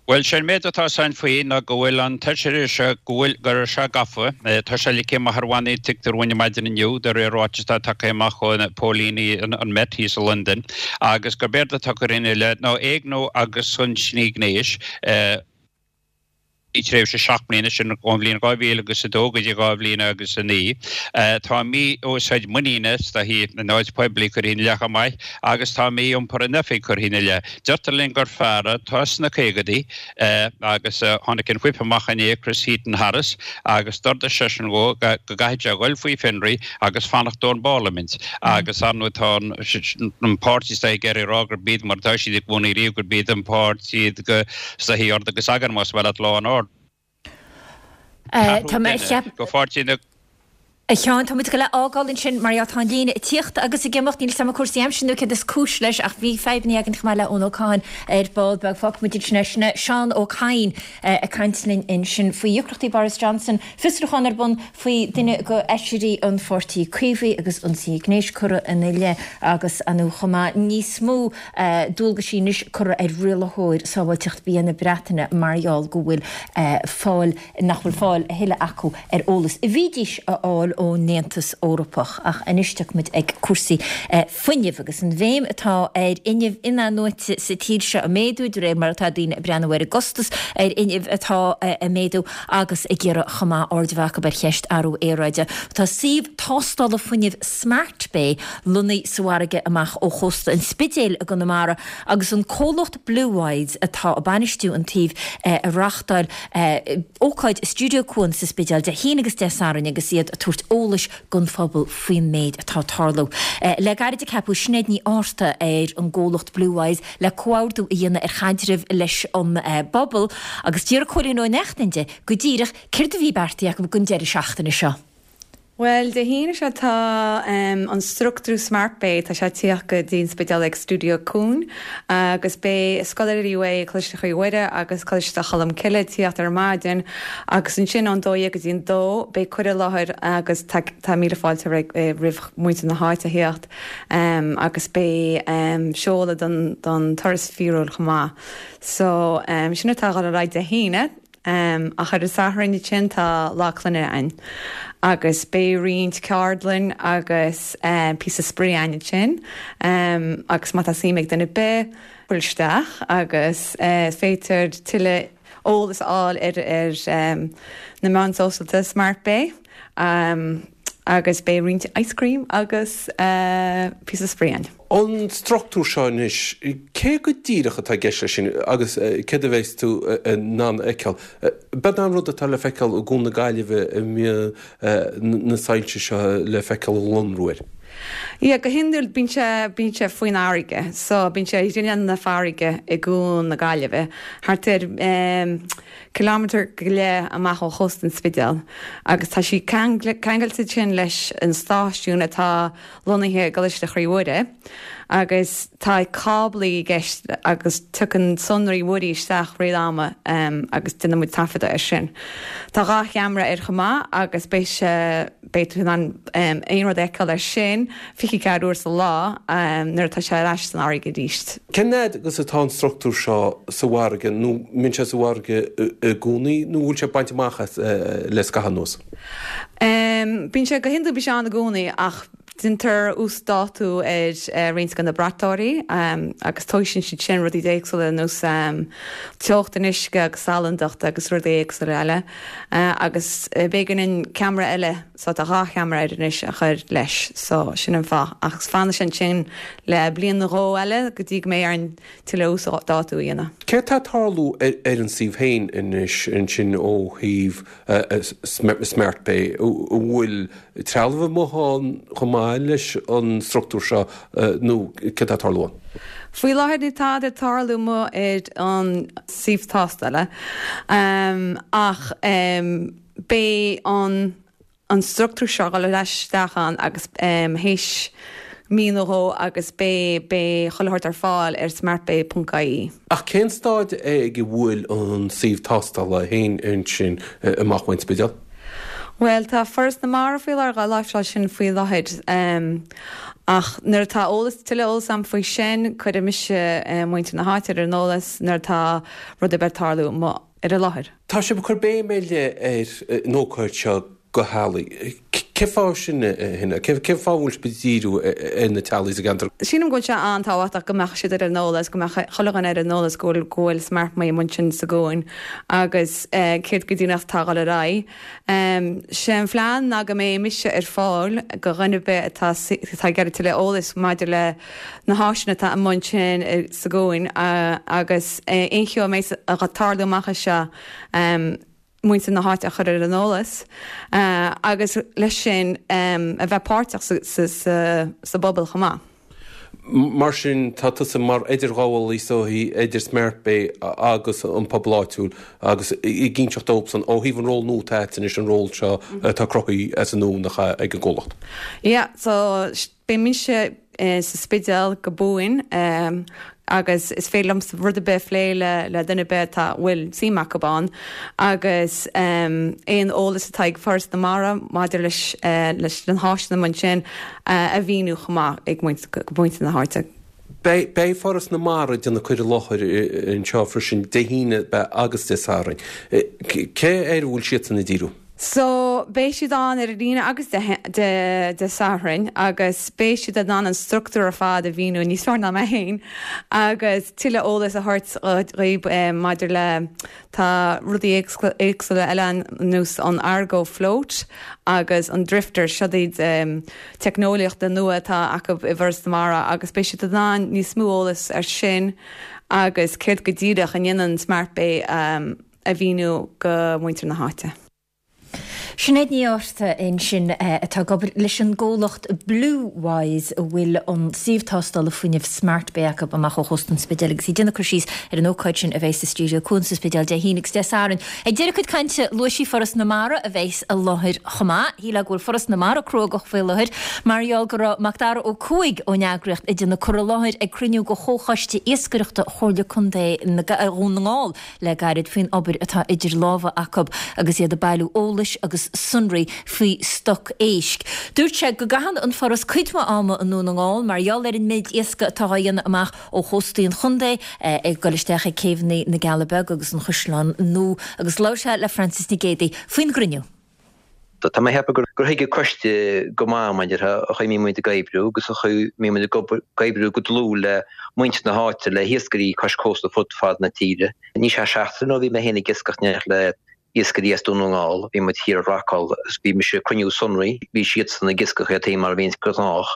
Bhuel, sé an méid atá 'fhios a'inn faoi ná go bhfuil an t-fheisire seo, go bhfuil, go raibh sé gafa, tá sé ligthe amach ar bhannaí tuigtear dúinn ar maidin inniu, de réir ráiteas atá tagtha amach ó na póilíní, an Met thíos i Londain, agus gurb éard atá curtha ina leith ná éigniú agus ionsaí gnéis, i dtréimhse 7 mbliana, sin ón bhliain 2000 agus 2 go dtí 2000 agus 9. Tá mí-úsáid muiníne, is dóichí, in áit poiblí curtha ina leith chomh maith agus tá mí-iompar in oifig curtha ina leith. Deirtear linn gur fear atá sna caogadaí agus tháinig an whip amach inné, Chris Heaton-Harris, agus d'ordaigh seisean dhó go gcaithfidh sé a dhul faoi fionraí agus fanacht ón bParlaimint. Agus ar ndóigh tá an páirtí is dóichí ag iarraidh a rá gurb iad mar atá siad i gcónaí riamh gurb iad an páirtí iad go is dóichí ord agus eagar más maith leat law and order. Tá mé ag Go pháirtí na. A Sheáin, tá muid ag dul a fhágáil ansin mar gheall tá an líne ag tíocht agus ag imeacht. Níl 'fhios a'm an cúrsaí aimsire nó céard is cúis leis ach bhí fadhbanna againn chomh maith le Eoin Ó Cadhain ar ball beag. Fágfaidh muid ansin é. Sin é Seán Ó Cadhain ag caint linn ansin faoi dheacrachtaí Boris Johnson, fiosrúchán ar bun faoi duine de fheisirí an Pháirtí Caomhaigh agus ionsaí gnéis curtha ina leith agus ar ndóigh chomh maith níos mó dualgaisí anois curtha ar rialaitheoir sábháilteacht bia na Breataine mar gheall go bhfuil fáil nach bhfuil fáil a thuilleadh acu ar eolas a bhídís a fháil ón Aontas Eorpach. Ach anois tiocfaidh muid ag cúrsaí fuinnimh agus an bhéim atá ar fhuinneamh in-athnuaite sa tír seo ag méadú de réir mar atá daoine ag breathnú ar an gcostas ar fhuinneamh atá ag méadú agus ag iarraidh chomh maith aird a bheith acu ar cheist athrú aeráide. Tá suíomh tástála fuinnimh Smart Bay lonnaithe sa bhfarraige amach ó chósta an Spidéil i gConamara agus an comhlacht Bluewise atá ag bainistiú an tsuímh ag reáchtáil ócáid i Stiúideo Cuan sa Spidéal Dé hAoine agus Dé Sathairn agus iad ag tabhairt eolais don phobal faoin méid atá ag tarlú. Le gairid a ceapadh Sinéad Ní Fhátharta ar an gcomhlacht Bluewise le comhordú a dhéanamh ar chaidreamh leis an bpobal agus d'fhiafraigh Cóilín Ó Neachtain di go díreach céard a bhí beartaithe acu don deireadh seachtaine seo. Bhuel, Dé hAoine seo tá an struchtúr Smart Bay, tá sé ag tíocht go dtí an Spidéal ag Stiúideo Cuan agus beidh scoláirí uaidh Coláiste Chroí Mhuire agus Coláiste Cholm Cille ag tíocht ar maidin agus ansin ón 12 go dtí an 2 beidh cur i láthair agus tá tá míle fáilte roimh muintir na háite a thíocht agus beidh seoladh don don turas fíorúil chomh maith. So sin atá ag dul ar aghaidh Dé hAoine. Ach ar an Satharn ansin tá Lá Clainne ann agus beidh roinnt ceardlann agus píosa spraoi ann ansin agus má tá suim ag duine ar bith buail isteach agus is féidir tuilleadh eolas a fháil ar ar na meáin sóisialta Smart Bay agus beidh roinnt ice cream agus píosa spraoi ann. An struchtúr seo anois, cé go díreach atá i gceist leis sin agus céard a bheas tú in ann a fheiceáil? Beag an rud atá le feiceáil i gCuan na Gaillimhe a mbíonn na soilse seo le feiceáil ag lonrú air. Yeah, go hiondúil bíonn sé, bíonn sé faoin fharraige, so bíonn sé ar ghrinneall na farraige i gCuan na Gaillimhe, thart ar kilometre go leith amach ó chósta an Spidéil agus tá sí ceangailte ansin leis an stáisiún atá lonnaithe i gColáiste Chroí Mhuire agus tá cáblaí i gceist agus tiocfaidh sonraí muirí isteach rith ama agus déanann muid taifeadadh air sin. Tá 2 cheamara air chomh maith agus beidh sé, beidh tú in ann aon rud a fheiceáil air sin 24 uair sa lá nuair atá sé ar ais san fharraige arís. Cén fhad agus atá an struchtúr seo sa bhfarraige nó mbíonn sé sa bhfarraige i gcónaí nó bhfuil sé bainte amach as le scaitheamh anuas? Bíonn sé go hiondúil bíonn sé ann i gcónaí ach déantar uasdátú ar roinnt de na braiteoirí agus tomhaiseann siad sin rudaí éagsúla ar nós teocht an uisce agus salandacht agus rudaí éagsúla eile agus b'éigean an ceamara eile so tá 2 cheamara air anois a chur leis so sin an fáth ach fanfaidh sé ansin le bliain nó dhó eile go dtí go mbeidh orainn tuilleadh uasdátú a dhéanamh. Céard atá ag tarlú ar an suíomh féin anois ansin ó thaobh Smart Bay, an bhfuil trealamh amuigh ann chomh maith leis an struchtúr seo nó céard atá ag tarlú ann? Faoi láthair níl tada ag tarlú amuigh ar an suíomh tástála ach beidh an an struchtúr seo ag dul ar ais isteach ann agus théis mí nó dhó agus beidh beidh chuile shórt ar fáil ar smartbay.ie. Ach cén staid ag a bhfuil an suíomh tástála féin ansin amach ón Spidéal? Bhuel, tá Foras na Mara faoi láthair dhá láimhseáil sin faoi láthair. Ach nuair atá eolas, tuilleadh eolas agam faoi sin, cuirfidh mise muintir na háite ar an eolas nuair atá rud ar bith ag tarlú amuigh ar an láthair. Tá sibh ag cur béim ar leith ar an ócáid seo do theaghlaigh. Cén fáth sin, a Shinéad? Cén fáth a bhfuil sibh ag díriú ar na teaghlaigh sa gceantar? Sílim go bhfuil sé an-tábhachtach go mbeadh siad ar an eolas, go mbeadh chuile dhuine ar an eolas go bhfuil, go bhfuil Smart Bay amuigh ansin sa gcuan agus céard go díreach atá ag dul ar aghaidh. Sé an phlean ná go mbeidh mise ar fáil do dhuine ar bith atá, atá ag iarraidh tuilleadh eolais maidir le na háiseanna atá amuigh ansin sa gcuan agus aon cheo a mbeidh ag tarlú amach anseo, muintir na háite a chur ar an eolas agus leis sin a bheith páirteach sa bpobal chomh maith. Mar sin, tá tusa mar idirghabhálaí is dóichí idir Smart Bay agus an pobal áitiúil agus ag inseacht dóibhsan ó thaobh an ról nua atá agat anois, an ról seo atá cruthaithe as an nua nach ea ag an gcomhlacht. Yeah, so beidh mise sa Spidéal go buan agus is féidir liomsa rud ar bith a phlé le le duine ar bith atá bhfuil suim acu ann agus aon eolas atá ag Foras na Mara maidir leis leis na háiseanna ansin a mhíniú chomh maith ag muintir na háite. Beidh beidh Foras na Mara ag déanamh cur i láthair anseo freisin Dé hAoine agus Dé Sathairn. Cé air a bhfuil siadsan ag díriú? So, beidh siad ann ar an Aoine agus Dé Sathairn agus beidh siad in ann an struchtúr ar fad a mhíniú níos fearr ná mé féin agus tuilleadh eolas a thabhairt dhaoib maidir le, tá rudaí éagsúla eile ann ar nós an Argo Float agus an Drifter, seo iad teicneolaíochta nua atá acu i bhForas na Mara agus beidh siad in ann níos mó eolas ar sin agus céard go díreach a ndéanann Smart Bay a mhíniú go muintir na háite. Sinéad Ní Fhátharta ansin atá ag obair leis an gcomhlacht Bluewise a bhfuil an suíomh tástála fuinnimh Smart Bay acu amach ó chósta an Spidéil agus í ag déanamh cur síos ar an ócáid sin a bheidh sa Stiúideo Cuan sa Spidéal Dé hAoine agus Dé Sathairn. Ag deireadh a cuid cainte luaigh sí Foras na Mara a bheas i láthair chomh maith. Shílfeá go bhfuil Foras na Mara cruógach faoi láthair mar gheall go raibh Macdara Ó Cuaig ón eagraíocht ag déanamh cur i láthair ag cruinniú de Chomhchoiste Iascaireachta Chomhairle Contae Dhún na nGall le gairid faoin obair atá idir lámha acu agus iad ag bailiú eolais agus sonraí faoi stoc éisc. Dúirt sé go gcaitheann an Foras cuid mhaith ama i nDún na nGall mar gheall ar an méid iascaigh atá á dhéanamh amach ó chóstaí an chontae, ag dul isteach ag céibheanna na gCealla Beaga agus an Chaisleáin Nua agus labhair sé le Frances Nic Géadaigh faoin gcruinniú. Tá mé ag ceapadh gur thuig an coiste go maith maidir le an chaoi a mbíonn muid ag oibriú agus an chaoi a mbíonn muid ag oibriú go dlúth le muintir na háite, le hiascairí cois cósta fud fad na tíre. Níl sé seachtain ó bhí mé féin ag iascach in éineacht le iascairí as Dún na nGall, bhí muid thiar i Rockall agus bhí mise ag cruinniú sonraí, bhí siadsan ag iascach iad féin mar a bhíonns gnách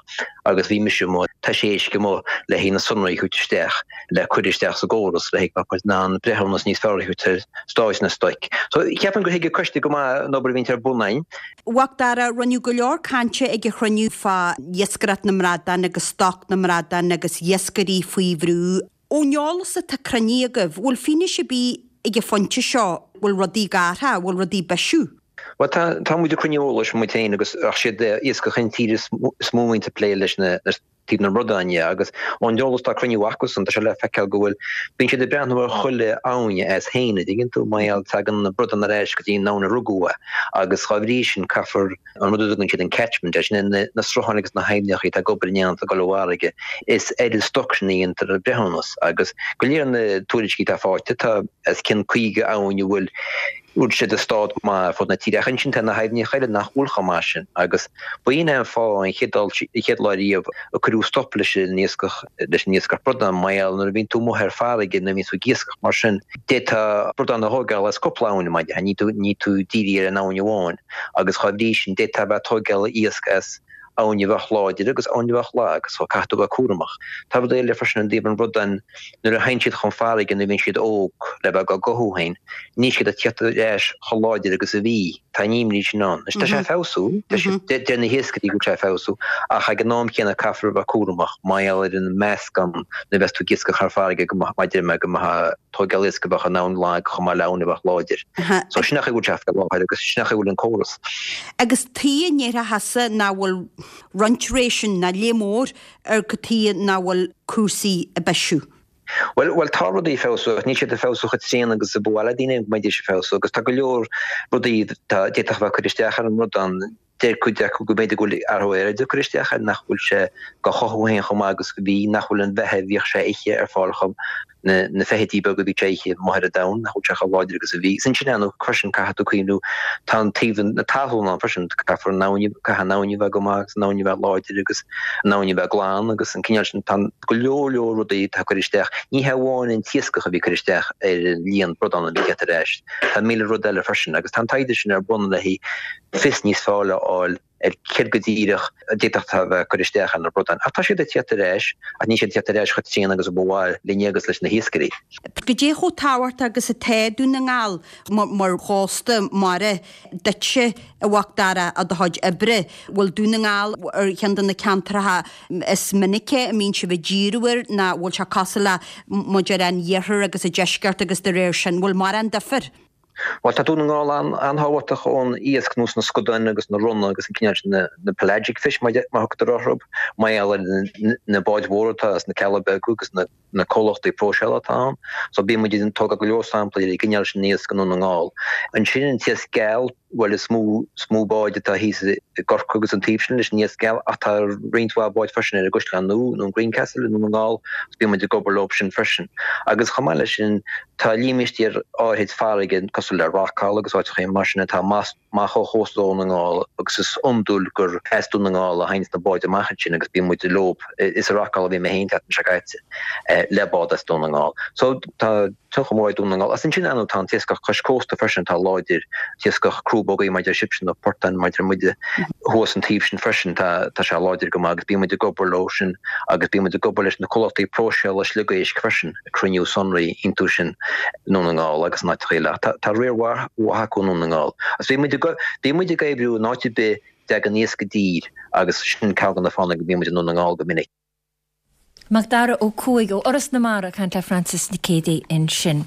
agus bhí mise amuigh ag taise éisc amuigh le haghaidh na sonraí a thabhairt isteach. le cur isteach sa gcóras le haghaidh go mbeadh in ann breithiúnas níos fearr a thabhairt ar stáid na stoic. So, ceapaim gur thuig an coiste go maith an obair a bhíonns ar bun againn. A Mhacdara, rinneadh go leor cainte ag an chruinniú fá iascaireacht na mbradán agus stoc na mbradán agus iascairí faoi bhrú. Ón eolas atá cruinnithe agaibh, bhfuil fianaise ar bith ag an phointe seo bhfuil rudaí ag athrú, bhfuil rudaí ag bisiú? Bhuel, tá, tá muid ag cruinniú eolais muid féin agus ach siad iascach intíre is mó a bhíonns ag plé leis na taobh na mbradán dhe agus ón eolas atá cruinniú acusan tá sé le feiceáil go bhfuil, bíonn siad ag breathnú ar chuile abhainn as féin, a dtuigeann tú, mar gheall tagann na bradáin ar ais go dtí an abhainn a rugadh é agus dhá bhrí sin caithfear an rud a dtugann siad an catchment air, sin é na srutháin agus na haibhneacha atá ag obair in éineacht ag dul i bhfarraige, is ar an stoc sin a dhéantar an breithiúnas agus go léir na tuairiscí atá faighte tá os cionn 50 abhainn a bhfuil bhfuil siad i stát maith ar fud na tíre, ach ansin tá na haibhneacha eile nach bhfuil chomh maith sin agus b'in é an fáth an chéad dul, an chéad lá riamh a cuireadh stop leis an iascach, leis an iascach bradán mar gheall nuair a bhíonn tú amuigh ar farraige nuair a bhíonn tú ag iascach mar sin d'fhéadfá bradán a thógáil as cúpla abhainn mar dhea, ní tú, ní tú dírithe ar an abhainn amháin agus dhá bhrí sin d'fhéadfá a bheith ag tógáil iasc as abhainn a bheadh láidir agus abhainn a bheadh lag so caithfidh tú a bheith cúramach. Tá rud eile freisin i dtaobh an bhradáin nuair a théann siad chun farraige nuair a bhíonn siad óg le bheith á gcothú féin, níl siad ag tíocht ar ais chomh láidir agus a bhí. Tá an imní sin ann. Anois tá sé ag feabhsú, tá sé, deir na hiascairí go bhfuil sé ag feabhsú, ach ag an am chéanna caithfear a bheith cúramach mar gheall ar an meascán nuair a bheas tú ag iascach thar farraige go mbeadh, mar a deir mé, go mbeadh tógáil iasc a bheadh in abhainn lag chomh maith le abhainn a bheadh láidir. So sin an chaoi a bhfuil sé faoi láthair agus sin an chaoi a bhfuil an córas. Agus tuige a ndéarfá thusa nach bhfuil roinnt réisean, ná léith mór, ar cad tuige nach bhfuil cúrsaí ag bisiú? Bhuel, bhuel, tá rudaí ag feabhsú ach níl siad ag feabhsú chomh tréan agus a ba mhaith le daoine go mbeidís ag feabhsú agus tá go leor rudaí atá, d'fhéadfadh a bheith curtha isteach ar an mbradán. Deir cuid acu go mb'fhéidir go bhfuil athrú aeráide ag cur isteach air, nach bhfuil sé dhá chothú féin chomh maith agus a bhí, nach bhfuil an bheatha a bhíodh sé a ithe ar fáil chomh, na na feithidí beaga a bhí sé a ithe amuigh ar an domhan, nach bhfuil sé chomh láidir agus a bhí. Is ansin ar ndóigh freisin caithfidh tú cuimhniú, tá an taobh na talún ann freisin, caithfear an abhainn, caithfidh an abhainn a bheith go maith agus an abhainn a bheith láidir agus an abhainn a bheith glan agus an cineál sin, tá go leor leor rudaí atá ag cur isteach. Ní hé amháin an t-iascach a bhí ag cur isteach ar an líon bradán a bhí ag teacht ar ais, tá míle rud eile freisin agus tá an taighde sin ar bun le haghaidh fios níos fearr a fháil. ar céard go díreach a d'fhéadfadh a bheith ag cur isteach ar na bradáin. Ach tá siad ag tíocht ar ais, ach níl siad ag tíocht ar ais chomh tréan agus a ba mhaith linne agus leis na hiascairí. Goidé chomh tábhachtach agus atá Dún na nGall mar chósta mara duitse, a Mhac Dara, i do chuid oibre? Bhfuil Dún na nGall ar cheann de na ceantracha is minice a mbíonn sibh ag díriú air nó bhfuil sé cosúil le muid ar an iarthar agus an deisceart agus de réir sin, bhfuil mórán difir? Bhuel, tá Dún na nGall an-tábhachtach ón iasc nós na scadáin agus na ronna agus an cineál sin, na pelagic fish mar a thugtar orthu, mar gheall ar na báid mhóra atá sna Cealla Beaga agus na comhlachtaí próiseála atá ann. So bíonn muid ag tógáil go leor samplaí ar an gcineál sin iasc i nDún na nGall. Ansin an t-iasc geal, bhuel is mó is mó báid atá thíos i gCorcaigh agus an taobh sin leis an iasc geal ach tá roinnt mhaith báid freisin ar an gCaisleán Nua nó an Greencastle i Ndún na nGall agus bíonn muid ag obair leo sin freisin. Agus chomh maith leis sin Tá límistéir áirid farraige cosúil le Rockall agus áiteacha mar sin atá amach ó chósta Dhún na nGall agus is iondúil gur as Dún na nGall a théanns na báid amach ansin agus bíonn muid leo. Is i Rockall a bhí mé féin an tseachtain seo caite le bád as Dún na nGall. So tá tionchar mór ag Dún na nGall. Agus ansin ar ndóigh tá an t-iascach cois cósta freisin atá láidir, t-iascach crúbógaí mar a deir sibhse nó portáin mar a deir muide thuas an taobh sin freisin tá sé láidir go maith agus bíonn muid ag obair leo sin agus bíonn muid ag obair leis na comhlachtaí próiseála sliogéisc freisin. ag cruinniú sonraí iontu sin i nDún na nGall agus in áiteacha eile. Ach tá riar mhaith acu i nDún na nGall. Agus bhí muid ag bhí muid ag oibriú in áit ar bith a dtagann iasc i dtír agus sin ceann de na fáthanna go mbíonn muid i nDún na nGall go minic. Macdara Ó Cuaig ó Fhoras na Mara ag caint le Frances Nic Géadaigh ansin.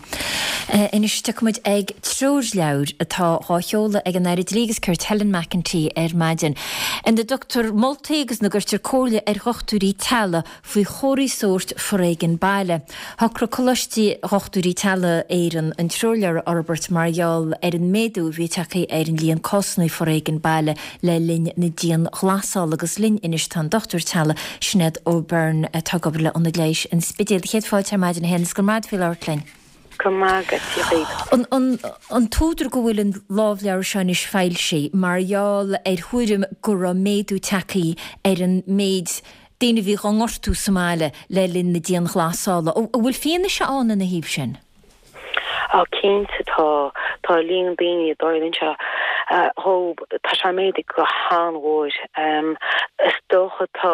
Anois tiocfaidh muid ag treoirleabhar atá dhá sheoladh ag an Aire Dlí agus Cirt Helen McEntee ar maidin ina dtugtar moltaí agus ina gcuirtear comhairle ar dhochtúirí teaghlaigh faoi chomharthaí sóirt foréigean baile. Shocraigh Coláiste Dhochtúirí Teaghlaigh Éireann an treoirleabhar a fhorbairt mar gheall ar an méadú a bhí tagtha ar an líon cásanna foréigean baile le linn na dianghlasála. Agus linn anois tá an dochtúir teaghlaigh Sinéad O'Byrne atá ag obair le Ionad Leighis an Spidéil. Céad fáilte ar maidin a Shéan is go raibh maith agat faoi labhairt linn. Go raibh maith agat, Dia dhaoibh. An an t-údar go bhfuil an lámhleabhar seo anois foilsithe mar gheall ar thuairim go raibh méadú tagtha ar an méid daoine a bhí dhá ngortú sa mbaile le linn na dianghlasála. An bhfuil fianaise ann ina thaobh sin? Á, cinnte tá. Tá líon daoine a dtarlaíonn sé dhóib, tá sé méadaithe go han-mhór. Is dócha tá,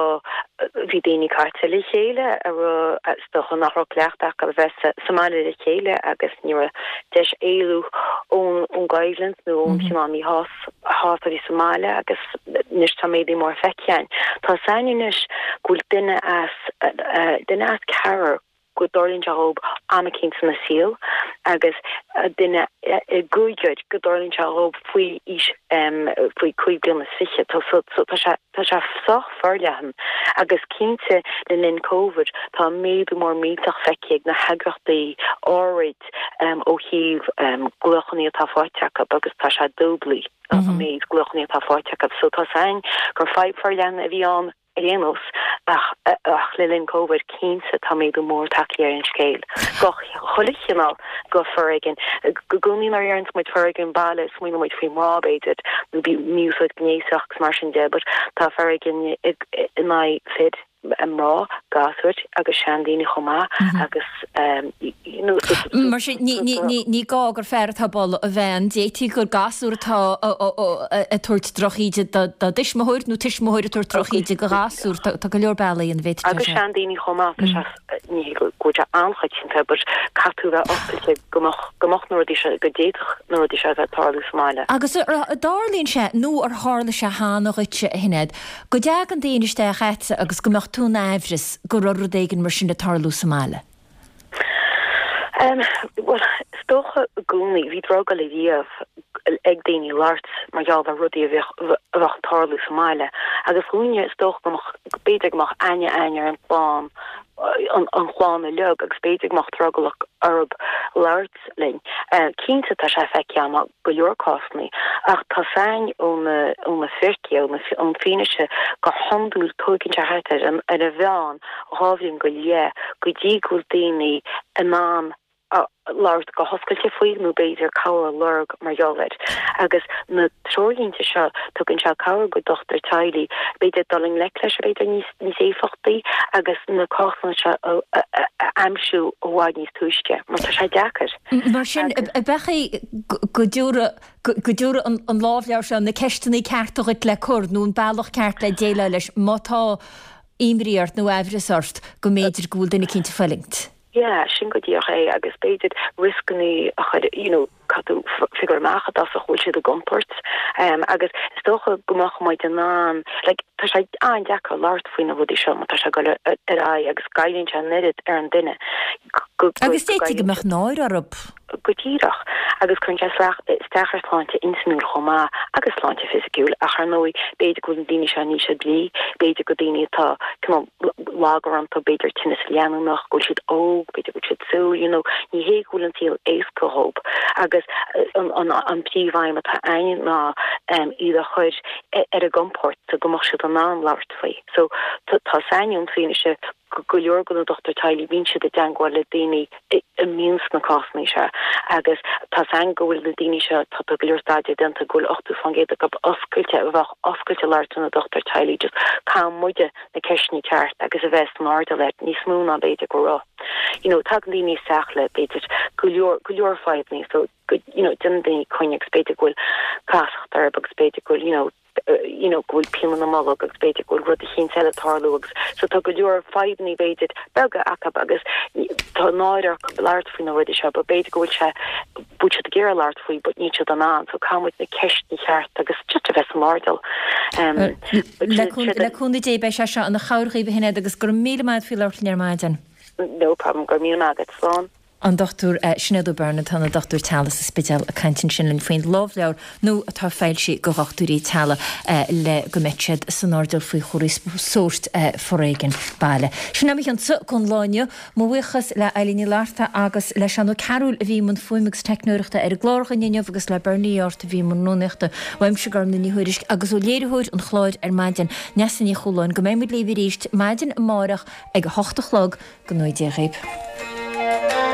bhí daoine caite le chéile a raibh, is dócha nach raibh cleachtadh acu a bheith sa mbaile le chéile agus ní raibh deis éalú ón gcoimhlint nó ón chineál míshásamh a bhí sa mbaile agus anois tá méadú mór feicthe againn. Tá 's againn anois go bhfuil duine as, duine as ceathrar go dtarlaíonn sé dhóib am eicínt ina saol agus duine i gcúigear go dtarlaíonn sé dhóib faoi aois, faoi 25 bliana. Tá so tá sé, tá sé sách forleathan agus cinnte le linn Covid tá méadú mór millteach feicthe ag na heagraíochtaí áirid ó thaobh glaochanna atá faighte acu agus tá sé dúblaithe an méid glaochanna atá faighte acu. So tá 's againn gur fadhb forleathan a bhí ann ar aon nós ach ach le linn Covid cinnte tá méadú mór tagtha ar an scéal. Go chuile chineál go foréigean. I gcónaí nuair a deireanns muid foréigean baile smaoiníonn muid faoi mná b'fhéidir nó mí-úsáid gnéasach agus mar sin de but tá foréigean in aghaidh fir. mná, gasúir agus seandaoine chomh maith agus you know Mar sin, ní gá gur fear atá ag bualadh a bhean, d'fhéadfaí gur gasúr atá ag tabhairt drochíde dá dtuismitheoir nó tuismitheoir ag tabhairt drochíde do ghasúr. Tá go leor bealaí ina bhféadfadh sé Agus seandaoine chomh maith, tá sé, ní hé go bhfuil sé an-choitianta but caithfidh tú a bheith oscailte go mbeadh, go mbeadh na rudaí seo, go d'fhéadfadh na rudaí seo a bheith ag tarlú sa mbaile. Agus an dtarlaíonn sé nó ar tharla sé cheana dhuitse, a Shinéad, Go dtagann daoine isteach agatsa agus go mbeadh tú in aimhreas go raibh rud éigin mar sin ag tarlú sa mbaile? Em, bhuel, is dócha i gcónaí, bhí drogall ariamh ag daoine labhairt mar gheall ar rudaí a bheadh, a bheadh ag tarlú sa mbaile. Agus dhúinne, is dócha go mbeadh, b'fhéidir go mbeadh aithne againn ar an chlann, an, an chlann uilig agus b'fhéidir go mbeadh drogall orthu labhairt. linn. Cinnte tá sé feicthe agam i go leor cásanna ach tá 's againn ó na ó na fíricí, ón fianaise gur hiondúil tóigeann sé thart ar an ar an mheán dhá bhliain go leith go dtí go bhfuil daoine in ann. labhairt go hoscailte faoi nó b'fhéidir cabhair a lorg mar gheall air. Agus na treoirlínte seo, tugann sé cabhair go dochtúir teaghlaigh b'fhéidir dul i ngleic leis b'fhéidir níos níos éifeachtaí agus na cásanna seo a aimsiú i bhfad níos túisce mar tá sé deacair. Mar sin, ab ea go dtabharfadh go dtabharfadh an lámhleabhar seo na ceisteanna cearta dhuit le cur nó an bealach ceart le déileáil leis má tá imní ort nó aimhreas ort go mb'fhéidir go bhfuil duine eicínt ag fulaingt. Yeah, sin go díreach é agus b'fhéidir rioscannaí a chur, you know, caithfidh tú figure amach i dtosach bhfuil siad i gcontúirt agus is dócha go mbeadh muid in ann, like, tá sé an-deacair labhairt faoi na rudaí seo má tá sé ag dul ar aghaidh agus goilleann sé an oiread ar an duine go, go, Agus d'fhéadfaí go mbeadh náire orthu. Go díreach. Agus cuireann sé isteach ar shláinte intinniúil chomh maith agus sláinte fisiciúil ach ar ndóigh b'fhéidir go bhfuil na daoine seo in ísle brí, b'fhéidir go daoine atá cineál lagar iontu, b'fhéidir tinneas leanúnach, go bhfuil siad óg, b'fhéidir go bhfuil siad saoil, you know, ní hé go bhfuil an saol éasca dhób. Agus an príomhaidhm atá againn ná iad a chur ar a gcompord so go mbeadh siad in ann labhairt faoi. So tá a fhios againn ón bhfianaise go go leor de na dochtúirí teaghlaigh bíonn siad i dteangmháil le daoine a mbíonn sna cásanna seo agus tá a fhios againn go bhfuil na daoine seo, tá go leor staidéir déanta go bhfuil 80% acu oscailte, a bheadh oscailte labhairt lena dochtúir teaghlaigh just caithfidh muide na ceisteanna ceart agus a bheith san airdeall air níos mó ná b'fhéidir go raibh. You know tagann daoine isteach le b'fhéidir go leor go leor fadhbanna so go you know déanann daoine coinne agus b'fhéidir go bhfuil casacht orthu agus b'fhéidir go bhfuil you know you know, go bhfuil pian ina mbolg agus b'fhéidir go bhfuil rud eicínt eile ag tarlú agus so tá go leor fadhbannaí b'fhéidir beaga acu agus tá náire orthu labhairt faoi na rudaí seo but b'fhéidir go bhfuil sé bhfuil siad ag iarraidh labhairt faoi but níl siad in ann so caithfidh muid na ceisteanna cheart agus just a bheith san airdeall. Um, Le cúnamh Dé beidh sé seo ina chabhair dhaoibh a Shinéad agus go raibh míle maith agat faoi labhairt linn ar maidin. No problem, go raibh míle maith agat, slán. An Dr Sinéad O'Byrne atá ina dochtúir teaghlaigh sa Spidéal ag caint ansin linn faoin lámhleabhar nua atá foilsithe go dhochtúirí teaghlaigh le go mbeidh siad san airdeall faoi chúrsaí sóirt foréigin baile. Sin é mo chionsa don lá inniu. Mo bhuíochas le Eilín Ní Fhlatharta agus le Seán Ó Cearúil a bhí i mbun fuaime agus teicneoireachta ar an gclár againn inniu agus le Bernie Art a bhí i mbun rúnaíochta. Uaimse Gormlaith Ní Thuairisg agus ó léiritheoir an chláir ar maidin, Neasa Ní Chualáin, go mbeidh muid libh arís maidin amárach ag a hocht a chlog. Go ngnóthaí Dia dhaoib.